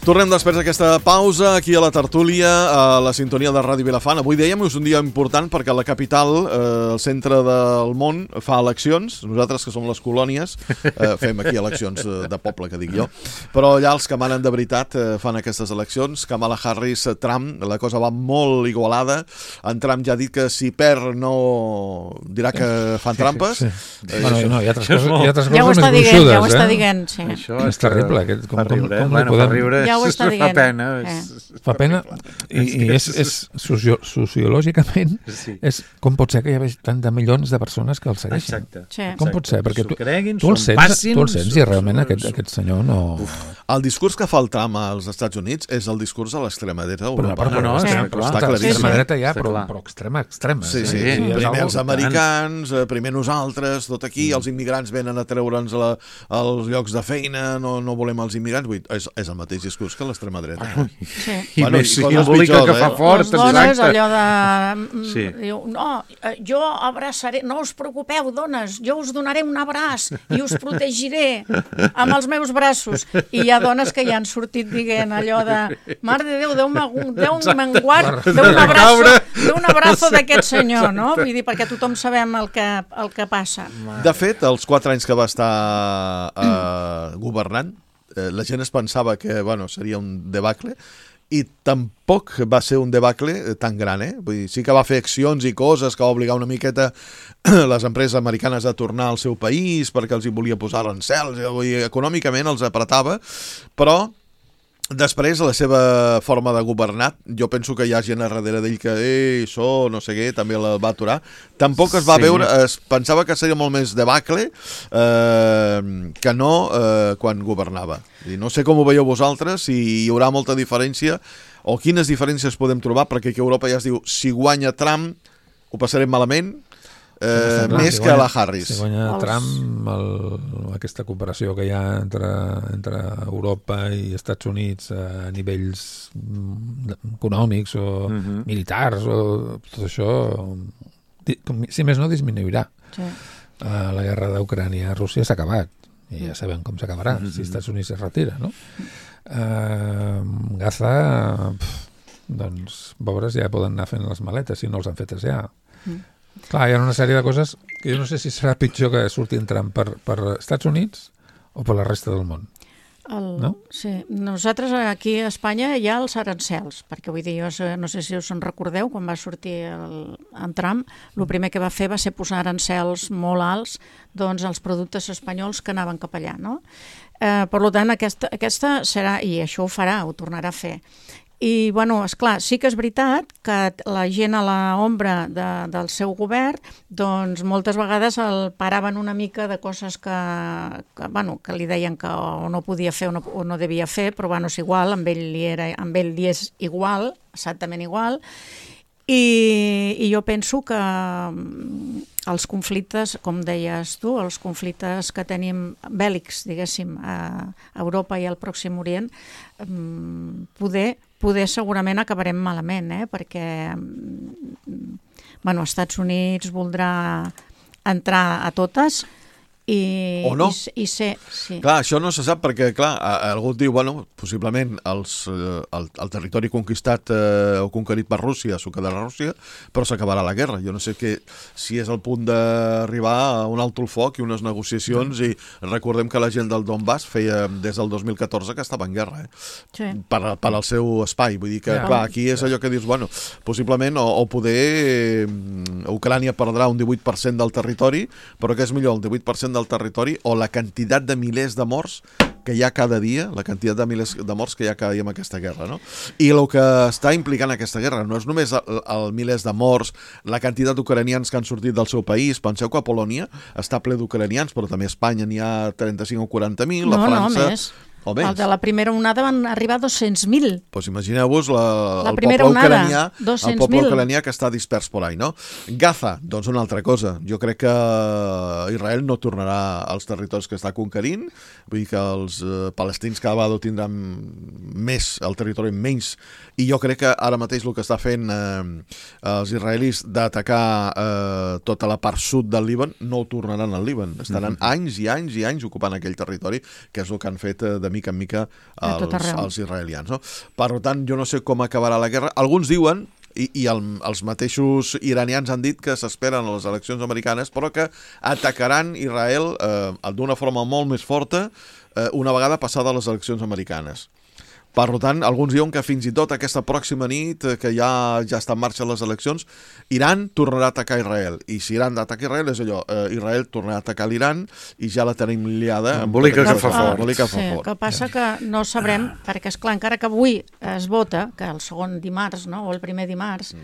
Tornem després d'aquesta pausa aquí a la tertúlia, a la sintonia de Ràdio Vilafant. Avui dèiem que és un dia important perquè la capital, eh, el centre del món, fa eleccions. Nosaltres, que som les colònies, eh, fem aquí eleccions de poble, que dic jo. Però allà els que manen de veritat eh, fan aquestes eleccions. Kamala Harris, Trump, la cosa va molt igualada. En Trump ja ha dit que si perd no dirà que fan trampes. Sí, sí. Eh, bueno, no, hi ha altres coses, hi ha altres ja coses més gruixudes. Dient, ja ho està dient, sí. Això és, és terrible. Aquest, com, com, riure, com, com bueno, podem... riure, ja ho està dient. Fa pena. Eh. Fa pena i, i és, és socio, sociològicament sí. És com pot ser que hi hagi tant de milions de persones que el segueixen. Exacte. Sí. Com pot ser? Perquè tu, creguin, tu, el sents, passin, tu el sents i realment aquest, aquest senyor no... Uf. El discurs que fa el Trump als Estats Units és el discurs de l'extrema dreta Però, d'Europa. no, no, no, sí, clar. està claríssim. L'extrema dreta ja, però, clar. però extrema, extrema. Sí, sí. sí. Primer els americans, primer nosaltres, tot aquí, els immigrants venen a treure'ns la, els llocs de feina, no, no volem els immigrants. Vull, és, és el mateix discurs que l'extrema dreta. Eh? Sí. I bueno, més simbòlica que fa fort. Les dones, allò de... Sí. Diu, no, jo abraçaré, no us preocupeu, dones, jo us donaré un abraç i us protegiré amb els meus braços. I hi ha dones que ja han sortit dient allò de mare de Déu, Déu menguar, d'un abraço, d'un abraço d'aquest senyor, no? Vull dir, perquè tothom sabem el que, el que passa. De fet, els quatre anys que va estar eh, governant, eh, la gent es pensava que bueno, seria un debacle, i tampoc va ser un debacle tan gran, eh? Vull dir, sí que va fer accions i coses que va obligar una miqueta les empreses americanes a tornar al seu país perquè els hi volia posar arancels, vull dir, econòmicament els apretava, però després, la seva forma de governar, jo penso que hi ha gent a darrere d'ell que, ei, això, no sé què, també la va aturar. Tampoc es va sí. veure, es pensava que seria molt més debacle eh, que no eh, quan governava. I no sé com ho veieu vosaltres, si hi haurà molta diferència, o quines diferències podem trobar, perquè aquí a Europa ja es diu, si guanya Trump, ho passarem malament, eh, clar, més si que guanya, la Harris. Si guanya Els- Trump, el, aquesta cooperació que hi ha entre, entre Europa i Estats Units a nivells mm, econòmics o Mhm. militars o tot això, di- com- si més no, disminuirà. Sí. Uh, la guerra d'Ucrània a Rússia s'ha acabat i ja sabem com s'acabarà Mhm. si Estats Units es retira, no? Uh, Gaza, pf, doncs, pobres ja poden anar fent les maletes si no els han fetes ja. Mm. Clar, hi ha una sèrie de coses que jo no sé si serà pitjor que surti entrant per, per Estats Units o per la resta del món. El, No? Sí, nosaltres aquí a Espanya hi ha els arancels, perquè vull dir, jo sé- no sé si us en recordeu, quan va sortir el, en Trump, el primer que va fer va ser posar arancels molt alts doncs, als productes espanyols que anaven cap allà, no? Eh, per tant, aquesta, aquesta serà, i això ho farà, ho tornarà a fer. I, bueno, esclar, sí que és veritat que la gent a l'ombra de, del seu govern, doncs moltes vegades el paraven una mica de coses que, que, bueno, que li deien que o no podia fer o no, o no devia fer, però bueno, és igual, amb ell li, era, amb ell li és igual, exactament igual, i, i jo penso que mm, els conflictes, com deies tu, els conflictes que tenim bèl·lics, diguéssim, a Europa i al Pròxim Orient, mm, poder, poder segurament acabarem malament, eh? Perquè mm, bueno, Estats Units voldrà entrar a totes i, O no. i, i ser... Sí. Clar, això no se sap perquè, clar, a- algú et diu, bueno, possiblement els, eh, el, el territori conquistat eh, o conquerit per Rússia s'ho quedarà Rússia, però s'acabarà la guerra. Jo no sé que, si és el punt d'arribar a un alto el foc i unes negociacions, i recordem que la gent del Donbass feia des del dos mil catorze que estava en guerra, eh? Sí. per, per al seu espai. Vull dir que, Ja. clar, aquí és allò que dius, bueno, possiblement, o, o poder... Eh, Ucrània perdrà un divuit per cent del territori, però què és millor, el divuit per cent del territori o la quantitat de milers de morts que hi ha cada dia, la quantitat de milers de morts que hi ha cada dia en aquesta guerra, no? I el que està implicant aquesta guerra no és només el, el milers de morts, la quantitat d'ucranians que han sortit del seu país. Penseu que a Polònia està ple d'ucranians, però també a Espanya n'hi ha trenta-cinc o quaranta mil, a No, no, França... més. O més. El de la primera onada van arribar a dos-cents mil. Pues imagineu-vos la, La el primera poble onada, ucranià, el dos-cents poble mil. ucranià que està dispers por ahí, no? Gaza, doncs una altra cosa. Jo crec que Israel no tornarà als territoris que està conquerint, vull dir que els eh, palestins cada vegada ho tindran més, el territori menys, i jo crec que ara mateix el que està fent eh, els israelis d'atacar eh, tota la part sud del Líban no ho tornaran al Líban. Estaran Mhm. anys i anys i anys ocupant aquell territori, que és el que han fet eh, de mica en mica A tot els, arreu. els israelians. No? Per tant, jo no sé com acabarà la guerra. Alguns diuen, i, i el, els mateixos iranians han dit que s'esperen a les eleccions americanes, però que atacaran Israel eh, d'una forma molt més forta eh, una vegada passada les eleccions americanes. Per tant, alguns diuen que fins i tot aquesta pròxima nit, eh, que ja ja està en marxa les eleccions, Iran tornarà a atacar Israel. I si Iran ataca Israel, és allò, eh, Israel tornarà a atacar l'Iran i ja la tenim liada. amb Embolica tota que fa aquesta- fort. embolica que fa Sí, fort. que passa que no sabrem, perquè és clar, encara que avui es vota, que el segon dimarts, no?, o el primer dimarts,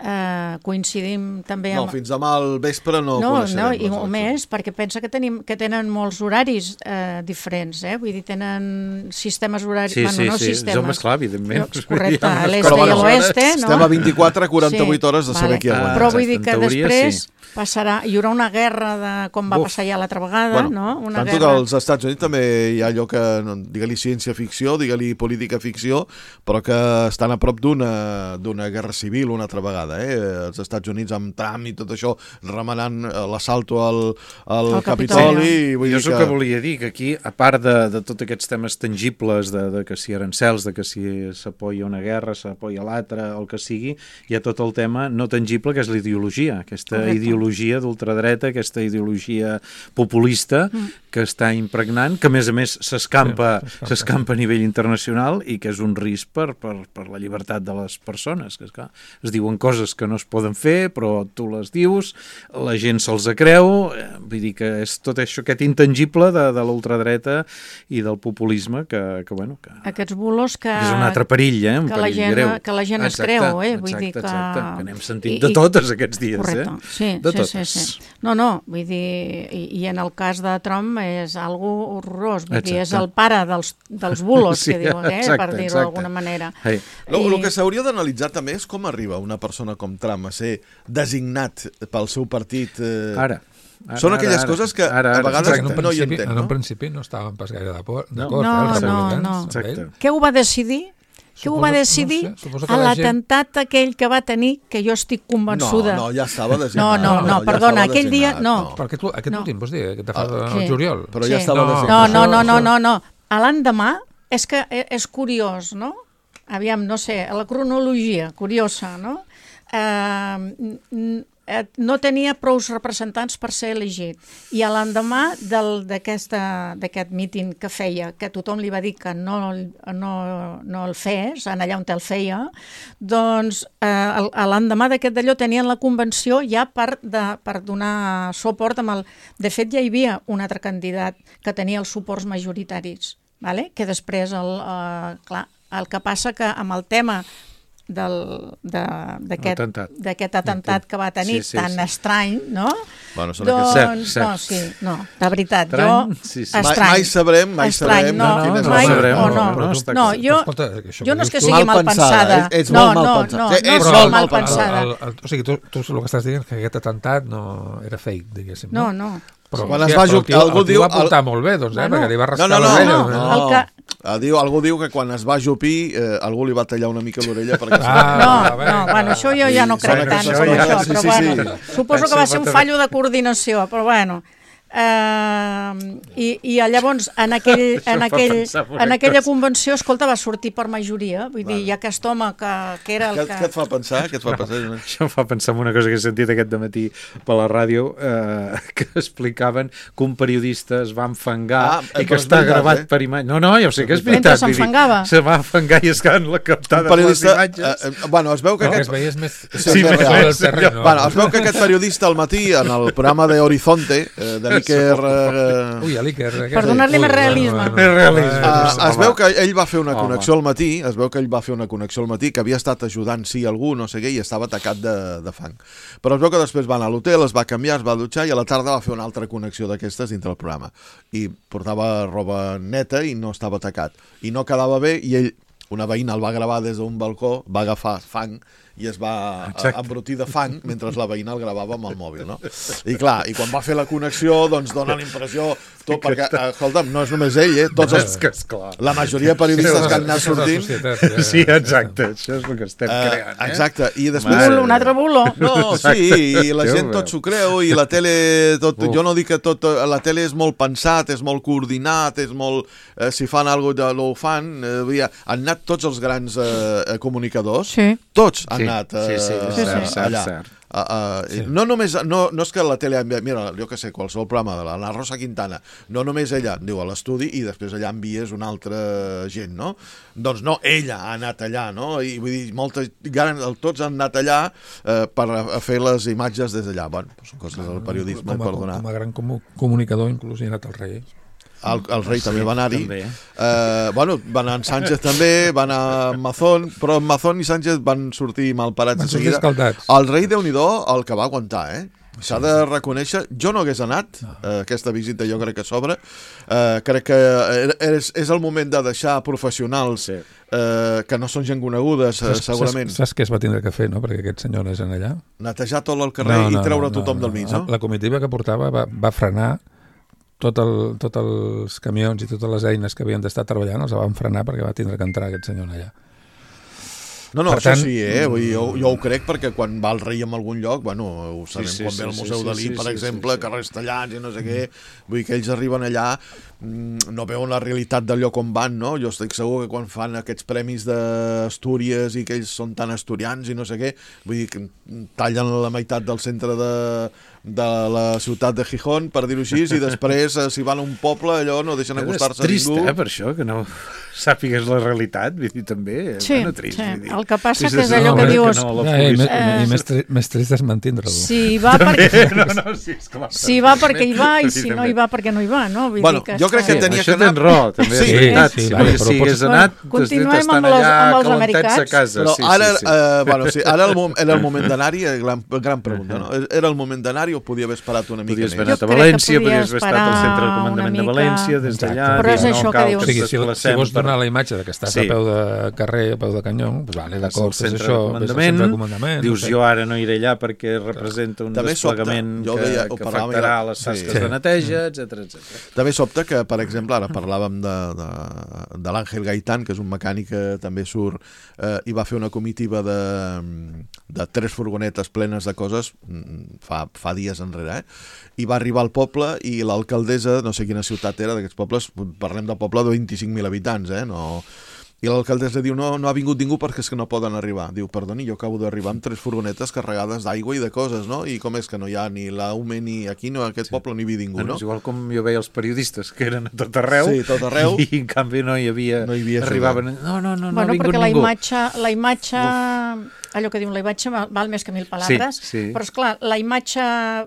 eh, coincidim també No, amb... fins demà al vespre no, no, coneixerem no, les i o eleccions. més, perquè pensa que tenim que tenen molts horaris eh, diferents, eh? Vull dir, tenen sistemes horaris... Sí, bueno, sí, no sí. sistemes. Home, esclar, evidentment. No, correcte, Hi ha unes l'est Però, i bueno, l'oeste, no? estem a vint-i-quatre a quaranta-vuit hores de saber vale. qui aguanta. Però vull dir En que teoria, després sí. passarà, hi haurà una guerra de com va Uf. passar ja l'altra vegada, Bueno, no? Una tanto guerra... que als Estats Units també hi ha allò que, no, digue-li ciència-ficció, digue-li política-ficció, però que estan a prop d'una d'una guerra civil una altra vegada. Eh? Els Estats Units amb Trump i tot això remenant eh, l'assalto al, al Al Capitoli. Capitoli. I vull Jo dir és el que volia dir, que aquí, a part de, de tots aquests temes tangibles, de, de que si arancels, de que si s'apoya una guerra, s'apoya l'altra, el que sigui, hi ha tot el tema no tangible, que és la ideologia, aquesta Correcte. ideologia d'ultradreta, aquesta ideologia populista Mm. que està impregnant, que a més a més s'escampa Sí, s'escampa, s'escampa a nivell internacional i que és un risc per, per, per la llibertat de les persones, que esclar, es diuen coses que no es poden fer, però tu les dius, la gent se'ls creu, eh, vull dir que és tot això, aquest intangible de, de l'ultradreta i del populisme que, que bueno, que Aquests bulos que... és un altre perill, eh? Un que la perill gent, greu. que la gent es Exacte, creu, eh? Vull exacte, dir que... exacte, que n'hem sentit I- de i- totes aquests dies, Correcte. eh? Sí, De sí, totes. sí, sí. No, no, vull dir, i, i en el cas de Trump és algo horrorós, vull dir, és Exacte. el pare dels, dels bulos, Sí, que diuen, eh? exacte, per dir-ho exacte. d'alguna manera. Hey. El, I- el que s'hauria d'analitzar també és com arriba una persona persona com Trump a ser designat pel seu partit... Eh, ara. Ara, Són aquelles ara, coses que ara, ara, a vegades en un no hi principi, entenc, en un no? principi no estaven pas gaire d'acord, No, eh, no, els no, republicans, no. amb ell. Què ho va decidir? Què ho va decidir no sé, suposo que a la gent- l'atemptat aquell que va tenir, que jo estic convençuda. No, no, ja estava No, designat. no, no, No, ja perdona, estava aquell dia, designat, no. no. Però aquest, aquest No. últim, vols dir, que te fa Ah, el sí. juliol. Però ja estava No, designat. No, no, no, Això- no, no, no. A l'endemà, és que e- és curiós, no? Aviam, no sé, la cronologia, curiosa, no? Eh, n- n- eh, no tenia prous representants per ser elegit. I a l'endemà del- d'aquesta- d'aquest míting que feia, que tothom li va dir que no, no, no el fes, en allà on el feia, doncs eh, el- a l'endemà d'aquest d'allò tenien la convenció ja per, de, per donar suport amb el... De fet, ja hi havia un altre candidat que tenia els suports majoritaris, vale? Que després, el, eh, clar, el que passa que amb el tema del- de- d'aquest Atemptat. d'aquest atemptat que va tenir Sí, sí, tan sí. estrany, no? Bueno, són doncs, aquests- Cert, no, cert. sí, no, de veritat, Estrany, jo... sí, sí. Mai- Estrany. mai sabrem, mai Estrany, sabrem no, quin és el mai, sabrem, o no, però no, no està no, clar. jo, Però escolta, això jo que no és dius que tu- sigui Mal mal pensada, pensada, ets- ets no, molt mal no, pensada. no, Sí, no ets és molt mal mal pensada. El, el, o sigui, tu, tu el que estàs dient és que aquest atemptat no era fake, diguéssim. No, no. Però, Quan hòstia, es va però el ju- tio, algú el tio diu- va portar el- molt bé, doncs, eh? Bueno. Perquè li va No, rascar no, no, l'orella. no, eh? no. El que- Ah, diu, algú diu que quan es va ajupir eh, algú li va tallar una mica l'orella perquè... Ah, No, va, no, va, bueno, això jo ja no Sí, crec són tant aquestes com coses. això, Sí, però sí, bueno, sí. suposo que va ser un Això fallo de coordinació, però bueno. Eh, i, I llavors, en, aquell, en, fa aquell, pensar en una en aquella cosa. convenció, escolta, va sortir per majoria, vull dir, hi ha aquest home que, que era el Què, que... què et fa pensar? Què et fa pensar? Joan? Això em fa pensar en una cosa que he sentit aquest dematí per la ràdio, eh, que explicaven que un periodista es va enfangar Ah, i que però és està veritat, gravat eh? per imatge. No, no, ja ho sé que és Mentre veritat. vull dir, s'enfangava. Se va enfangar i es quedaven la captada Un de les periodista... imatges. Eh, eh, bueno, es veu que No, que aquest... es veiés més... Sí, més més real real. del terreny. Bueno, es veu que aquest periodista al matí, en el programa de Horizonte, eh, de l'Iker... Eh, Ui, a l'Iker. Per donar-li més realisme. Més realisme. Uh, es veu que ell va fer una Home. connexió al matí, es veu que ell va fer una connexió al matí, que havia estat ajudant, sí, algú, no sé què, i estava tacat de, de fang. Però es veu que després va anar a l'hotel, es va canviar, es va dutxar, i a la tarda va fer una altra connexió d'aquestes dintre el programa. I portava roba neta i no estava tacat. I no quedava bé, i ell, una veïna el va gravar des d'un balcó, va agafar fang, i es va Exacte. embrutir de fang mentre la veïna el gravava amb el mòbil, no? I clar, i quan va fer la connexió, doncs dona la impressió, tot, perquè, eh, escolta'm, no és només ell, eh? Tots els, És que esclar. la majoria de periodistes que han anat sortint... Sí, exacte, això és el que estem Eh, creant. Eh? exacte, i després... Bulo, un altre bulo. No, sí, i la Déu gent meu. tot s'ho creu, i la tele... Tot, Uf. jo no dic que tot... La tele és molt pensat, és molt coordinat, és molt... Eh, si fan alguna cosa, ho fan. Eh, vull dir, han anat tots els grans eh, comunicadors, Sí. tots han Sí, anat eh, sí, sí, Sí, cert, sí. cert, allà. cert. Uh, uh, sí. no només no, no és que la tele mira, jo que sé, qualsevol programa de la, la Rosa Quintana, no només ella diu a l'estudi i després allà envies una altra gent, no? Doncs no, ella ha anat allà, no? I vull dir, moltes, tots han anat allà eh, per a, a fer les imatges des d'allà. Bueno, són coses del periodisme, com a, per donar. com a gran comu comunicador, inclús hi ha anat el rei. El, el rei Sí, també va anar-hi. també. Eh, bueno, va anar en Sánchez també, va anar en Mazón, però Mazón i Sánchez van sortir malparats Van de sortir seguida. escaldats. El rei, Déu-n'hi-do, el que va aguantar, eh? S'ha de reconèixer, jo no hagués anat, eh, aquesta visita jo crec que s'obre, eh, crec que és, és el moment de deixar professionals Sí. eh, que no són gent conegudes, eh, Saps, segurament, saps, saps què es va tindre que fer, no? Perquè aquest senyor anés en allà. netejar tot el carrer i treure tothom del mig, no? La comitiva que portava va, va frenar tot el, tots els camions i totes les eines que havien d'estar treballant, els van frenar perquè va tindre que entrar aquest senyor allà. No, no, Per això tant, sí, eh? Vull dir, jo, jo ho crec perquè quan va el rei en algun lloc, bueno, ho sabem Sí, sí, quan ve al sí, Museu sí, Dalí, sí, per sí, exemple, sí, sí. carrers tallats i no sé què, vull dir que ells arriben allà, mm, no veuen la realitat del lloc on van, no? Jo estic segur que quan fan aquests premis d'Astúries i que ells són tan asturians i no sé què, vull dir que tallen la meitat del centre de, de la ciutat de Gijón, per dir-ho així, i després, eh, si van a un poble, allò no deixen acostar-se a trist, ningú. eh, per això, que no sàpigues la realitat, vull dir, també. Sí, bueno, trist, sí. vull dir. El que passa Sí, que és sí, allò no, que no, dius... no, la Ja, i, policia- me, Eh, i més, tri més trist és mantindre-lo. Si va perquè... No, no, sí, esclar. Si va perquè hi va i si no hi va perquè no hi va, no? Vull Bueno, dir que jo jo crec que Sí, tenia això que anar... tens raó, també és Sí, veritat. sí, Si vale, no però hi hagués pots- anat, Bueno, continuem estan amb els- allà amb els calentats a americans. casa. Però Sí, ara, sí, sí. eh, bueno, sí, ara el, mom- era el moment d'anar-hi, eh, gran, gran pregunta, no? Era el moment d'anar-hi o podia haver esperat una mica Podies més? haver anat a Jo crec que València, podia podies haver estat al centre de esperar comandament una de mica. València, des d'allà. Exacte. Però és dir, això no que cal dius. O sigui, si, si desplacem vols per- donar la imatge de que estàs Sí. a peu de carrer, a peu de canyó, doncs vale, Vas al d'acord, fes centre això, de ves al comandament, centre de comandament. dius no sé. jo ara no iré allà perquè representa un També sobta, desplegament jo que, deia, ho que parlàvem afectarà ja- les sí. tasques Sí. de neteja, etcètera, etcètera. També sobta que, per exemple, ara parlàvem de, de, de l'Àngel Gaitán, que és un mecànic que també surt eh, i va fer una comitiva de, de tres furgonetes plenes de coses mm, fa, fa dies enrere, eh? I va arribar al poble i l'alcaldessa, no sé quina ciutat era d'aquests pobles, parlem del poble de vint-i-cinc mil habitants, eh? No... I l'alcaldessa diu, no, no ha vingut ningú perquè és que no poden arribar. Diu, perdoni, jo acabo d'arribar amb tres furgonetes carregades d'aigua i de coses, no? I com és que no hi ha ni la U M E ni aquí, no, a aquest sí. poble no hi havia ningú, Bueno, no? és igual com jo veia els periodistes, que eren a tot arreu, Sí, tot arreu. i en canvi no hi havia... No hi havia arribaven... No, no, no, no Bueno, ha vingut perquè la ningú. imatge, la imatge allò que diuen, la imatge val, val més que mil paraules, Sí, sí. però és clar, la imatge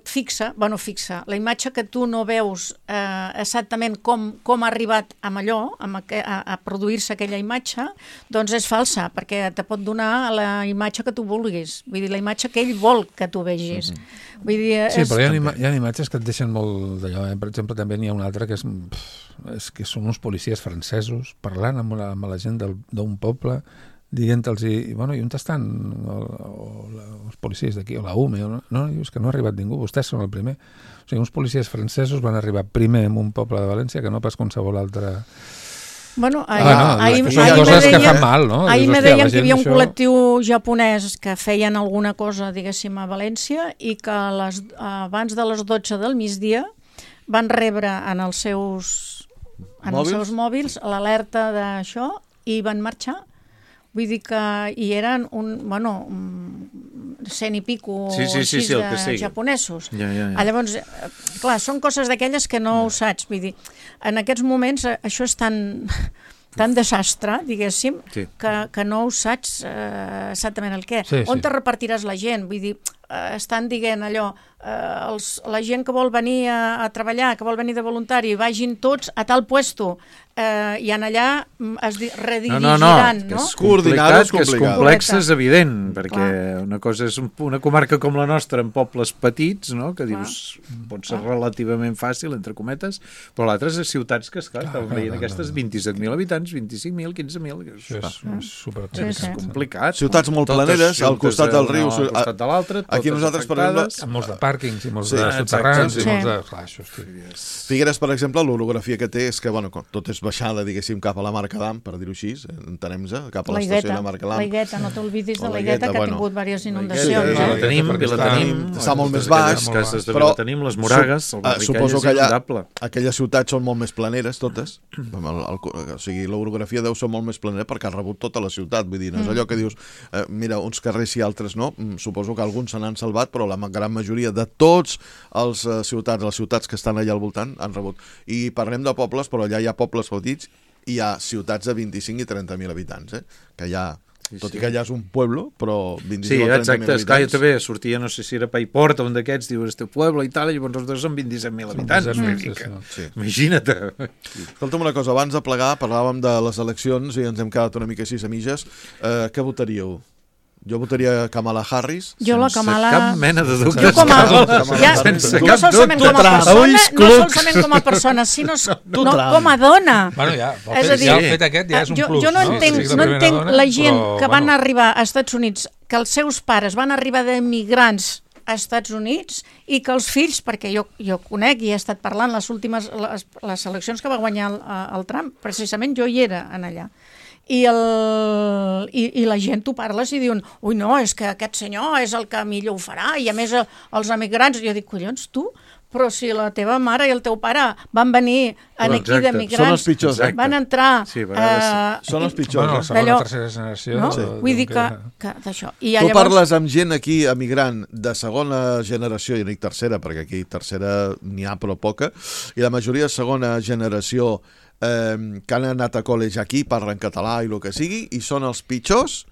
fixa, bueno, fixa, la imatge que tu no veus eh, exactament com, com ha arribat amb allò, amb aqu a, a produir-se aquella imatge, doncs és falsa, perquè te pot donar la imatge que tu vulguis, vull dir, la imatge que ell vol que tu vegis. Mm-hmm. Vull dir, Sí, és... però hi ha, ima hi ha imatges que et deixen molt d'allò. Eh? Per exemple, també n'hi ha una altra que és, pff, és que són uns policies francesos parlant amb la, amb la gent d'un poble, dient-los, i, bueno, i on estan el, o la, els policies d'aquí, o la U M E, o no, no, dius que no ha arribat ningú, vostès són el primer. O sigui, uns policies francesos van arribar primer en un poble de València que no pas qualsevol altre... Bueno, ahir, Ah, no, ahir, són ahir coses me que deien, fan mal, no? ahir Dius, me hòstia, deien la que hi havia un gent això- col·lectiu japonès que feien alguna cosa, diguéssim, a València i que a les, abans de les dotze del migdia van rebre en els seus, en Mòbils? els seus mòbils l'alerta d'això i van marxar. Vull dir que hi eren un, bueno, un cent i pico Sí, sí, sí, així sí, el que de sigui. japonesos. Ja, ja, ja. Ah, llavors, eh, clar, són coses d'aquelles que no ho saps. Vull dir, en aquests moments eh, això és tan, tan desastre, diguéssim, Sí. que, que no ho saps eh, exactament el què. Sí, On sí. te repartiràs la gent? Vull dir, eh, estan dient allò, eh, els, la gent que vol venir a, a treballar, que vol venir de voluntari, vagin tots a tal puesto, eh, i en allà mm, es di- No, redirigiran, no, no, que no? és Coordinar-ho complicat, és que és complicat. complex, és Correcte. evident, perquè Clar. una cosa és un, una comarca com la nostra, amb pobles petits, no? Que dius, pot ser relativament fàcil, entre cometes, però l'altre és a ciutats que, esclar, estàvem clar, veient clar, aquestes clar. vint-i-set mil habitants, vint-i-cinc mil, quinze mil, que és, Això és, és super Sí, és sí. complicat. Ciutats molt Totes planeres, al juntes costat del a- riu. Al costat de l'altre, Aquí totes nosaltres, per exemple, afectades. amb molts de pàrquings i molts Sí, de exacte, soterrans sí. i molts de... Clar, això, hosti. Figueres, per exemple, l'orografia que té és que, bueno, com tot és baixada, diguéssim, cap a la Marcadam, per dir-ho així, entenem-se, cap a La l'estació Higueta, de Marcadam. la Higueta, no t'oblidis O de la la Higueta, Higueta, que ha bueno. tingut diverses Sí, inundacions. sí, I la eh? tenim, perquè i la està- tenim. està molt més Totes baix, aquelles cases de però Vilatenim, les Moragues, el Sup- Barricall suposo és que allà, inundable. aquelles ciutats són molt més planeres, totes. El, el, o sigui, l'orografia deu ser molt més planera perquè ha rebut tota la ciutat. Vull dir, no és allò que dius, eh, mira, uns carrers i altres no. Mm, Suposo que alguns se n'han salvat, però la ma- gran majoria de tots els eh, ciutats, les ciutats que estan allà al voltant, han rebut. I parlem de pobles, però allà hi ha pobles petits i hi ha ciutats de vint-i-cinc i trenta mil habitants, eh? Que hi ha, Sí, tot sí. i que allà és un pueblo, però vint-i-cinc Sí, o trenta mil exacte, esclar, jo habitants. també sortia, no sé si era Paiport o un d'aquests, diu, este pueblo i tal, i llavors els dos són vint-i-set mil habitants. vint-i-set mil, vull dir sí, que- sí. Imagina't. Escolta'm una cosa, abans de plegar parlàvem de les eleccions i ens hem quedat una mica així a mitges. Eh, què votaríeu? Jo votaria Kamala Harris. Jo la Sense Kamala... cap mena de dubte. Jo com a... Kamala Ja, Harris. no solament com a persona, no solament com a persona, sinó no, com a dona. Bueno, ja, el És fet, a dir, ja el fet aquest ja és un jo, plus. jo no no? entenc, Sí, sí, no primera entenc dona, la gent però, que van bueno, arribar a Estats Units, que els seus pares van arribar d'emigrants a Estats Units i que els fills, perquè jo, jo conec i he estat parlant les últimes les, les eleccions que va guanyar el, el Trump, precisament jo hi era en allà. I, el, i, i la gent tu parles i diuen, ui no, és que aquest senyor és el que millor ho farà i a més els emigrants, jo dic, collons, tu? Però si la teva mare i el teu pare van venir en aquí Exacte. d'emigrants, Són els pitjors, van exacte. entrar... Sí, a vegades sí. eh, Són els pitjors. Bueno, eh? la segona d'allò- o tercera generació. no? de- Vull dir de- que, que d'això. I Tu llavors, parles amb gent aquí, emigrant, de segona generació, i no dic tercera, perquè aquí tercera n'hi ha però poca, i la majoria de segona generació eh, que han anat a col·legi aquí, parlen català i el que sigui, i són els pitjors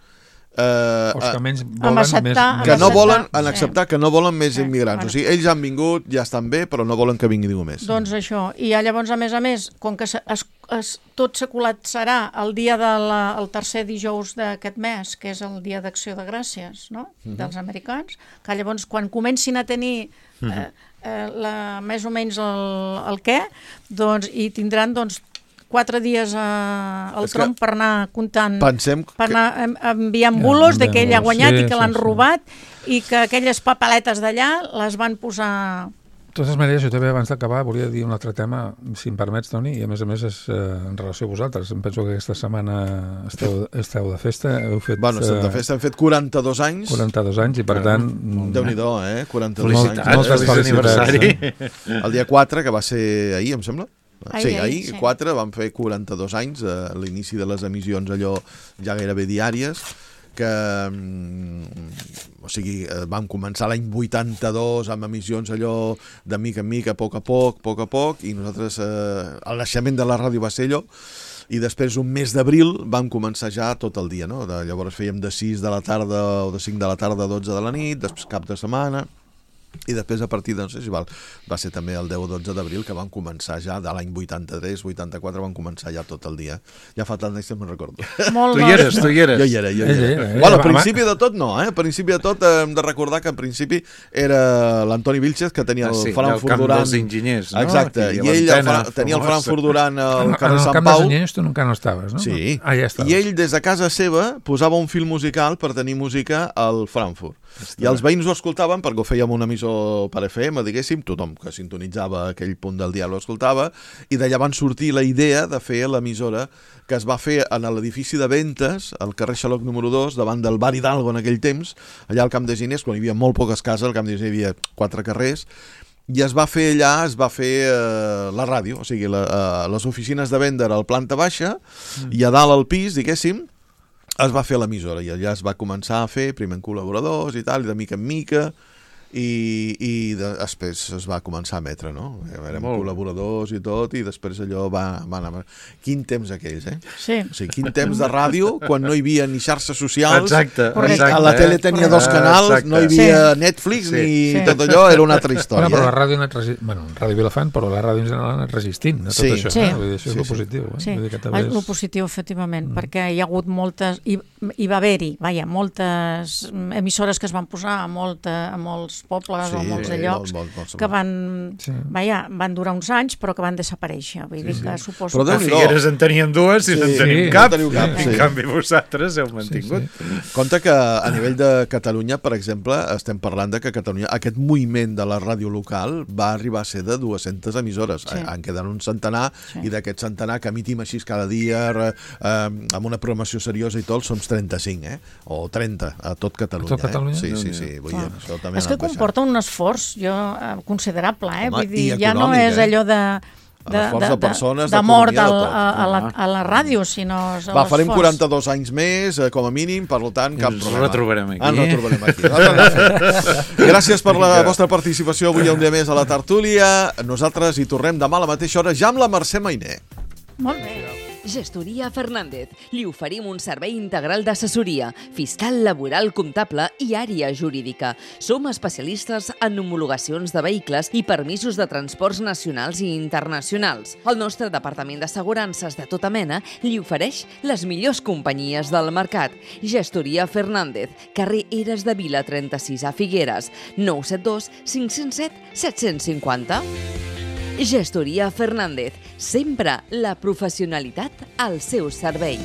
Eh, Els que menys Amb volen acceptar- més... que no acceptar- volen, en sí. acceptar que no volen més Sí, immigrants. bueno. O sigui, ells han vingut, ja estan bé, però no volen que vingui ningú més. Doncs això. I ja llavors, a més a més, com que se, es, es, tot se col·lapsarà el dia del el tercer dijous d'aquest mes, que és el dia d'acció de gràcies, no?, Mhm. dels americans, que llavors quan comencin a tenir eh, eh, la, més o menys el, el què, doncs, i tindran doncs, quatre dies a, al És que tronc per anar comptant, pensem per que- anar en- enviant bulos de que ell ha guanyat Sí, i que sí, l'han sí. robat i que aquelles papeletes d'allà les van posar... De totes maneres, jo també abans d'acabar volia dir un altre tema, si em permets, Toni, i a més a més és eh, en relació a vosaltres. Em penso que aquesta setmana esteu, esteu de festa, heu fet... Bueno, estem de eh, festa, hem fet quaranta-dos anys. quaranta-dos anys i per tant... Déu-n'hi-do, eh? quaranta-dos Felicitats, anys. moltes feliç felicitats. aniversari. Eh? El dia quatre, que va ser ahir, em sembla. Ahir, Sí, ahir, ahir, sí. quatre, vam fer quaranta-dos anys, a l'inici de les emissions allò ja gairebé diàries, que mm, o sigui, eh, vam començar l'any vuitanta-dos amb emissions allò de mica en mica, a poc a poc, a poc a poc, i nosaltres, eh, el naixement de la ràdio va ser allò, i després un mes d'abril vam començar ja tot el dia, no? De, llavors fèiem de sis de la tarda o de cinc de la tarda a dotze de la nit, després cap de setmana, i després a partir de, no sé si val, va ser també el deu o dotze d'abril que vam començar ja, de l'any vuitanta-tres vuitanta-quatre vam començar ja tot el dia. Ja fa tant anys que me'n recordo. Molt Tu hi eres, tu hi eres. Jo hi era, jo hi Ell era. era, eh? Bueno, al Home. principi de tot no, eh? Al principi de tot eh, hem de recordar que en principi era l'Antoni Vilchez que tenia el Ah, sí, Frankfurt del camp durant... dels enginyers, no? Exacte, Aquí a i ell el l'antena Fra... tenia el famosa. Frankfurt durant el En, en carrer el Sant camp Pau. dels Anyens tu encara no estaves, no? Sí. Ah, ja estaves. I ell des de casa seva posava un fil musical per tenir música al Frankfurt. I els veïns ho escoltaven perquè ho fèiem un emissor per F M, diguéssim, tothom que sintonitzava aquell punt del dia ho escoltava, i d'allà van sortir la idea de fer l'emissora que es va fer en l'edifici de Ventes, al carrer Xaloc número dos, davant del bar Hidalgo en aquell temps, allà al Camp de Ginés, quan hi havia molt poques cases, al Camp de Ginés hi havia quatre carrers, i es va fer allà, es va fer eh, la ràdio, o sigui, la, eh, les oficines de venda al planta baixa, mm. i a dalt al pis, diguéssim, es va fer l'emissora, i allà es va començar a fer, primer en col·laboradors i tal, i de mica en mica, i, i de, després es va començar a emetre, no? Érem Molt bé. col·laboradors i tot, i després allò va, va anar... Quin temps aquells, eh? Sí. O sigui, quin temps de ràdio, quan no hi havia ni xarxes socials, Exacte, ni exacte, a la tele eh? tenia dos canals, Exacte. no hi havia Sí. Netflix, Sí. ni Sí. tot allò, era una altra història. Bueno, però la eh? ràdio ha anat resistint, bueno, Ràdio Vilafant, però la ràdio en general ha anat resistint a tot Sí. això. Sí. Eh? Vull dir, això és Sí, lo sí. positiu. Eh? Sí, Vull dir que també el és... positiu, efectivament, mm. perquè hi ha hagut moltes, hi, hi va haver-hi, vaja, moltes emissores que es van posar a, molta, a molts pobles Sí, o a molts sí, de llocs molt, molt, molt. que van, Sí. vaja, van durar uns anys però que van desaparèixer, vull dir que suposo Però que... A Déu-n'hi-do. Figueres en teníem dues i Sí, no en sí, tenim no cap. teniu cap, I sí. en canvi vosaltres heu mantingut. Compte que a nivell de Catalunya, per exemple, estem parlant de que Catalunya, aquest moviment de la ràdio local va arribar a ser de dues-centes emissores. Sí. En queden un centenar, Sí. i d'aquest centenar que emitim així cada dia, eh, amb una programació seriosa i tot, som trenta-cinc, eh? O trenta, a tot Catalunya. A tot Catalunya? Eh? Sí, sí, Déu-n'hi-do. sí. Vull dir, Ah. això també És ha que anat baixant. comporta un esforç jo, eh, considerable, eh? Home, vull dir, i ja no econòmic, és eh? allò de de, L'esforç de, de persones, de, de mort d'economia, de al, tot. a, a, la, a la ràdio, sinó és Va, farem l'esforç. quaranta-dos anys més, eh, com a mínim, per tant, cap Ens problema. retrobarem aquí. Ens retrobarem aquí. Gràcies per la vostra participació avui un dia més a la tertúlia. Nosaltres hi tornem demà a la mateixa hora, ja amb la Mercè Mainé. Molt bé. Gestoria Fernández. Li oferim un servei integral d'assessoria, fiscal, laboral, comptable i àrea jurídica. Som especialistes en homologacions de vehicles i permisos de transports nacionals i internacionals. El nostre departament d'assegurances de tota mena li ofereix les millors companyies del mercat. Gestoria Fernández, carrer Eres de Vila trenta-sis a Figueres, nou set dos cinc zero set set cinc zero. Gestoria Fernández, sempre la professionalitat al seu servei.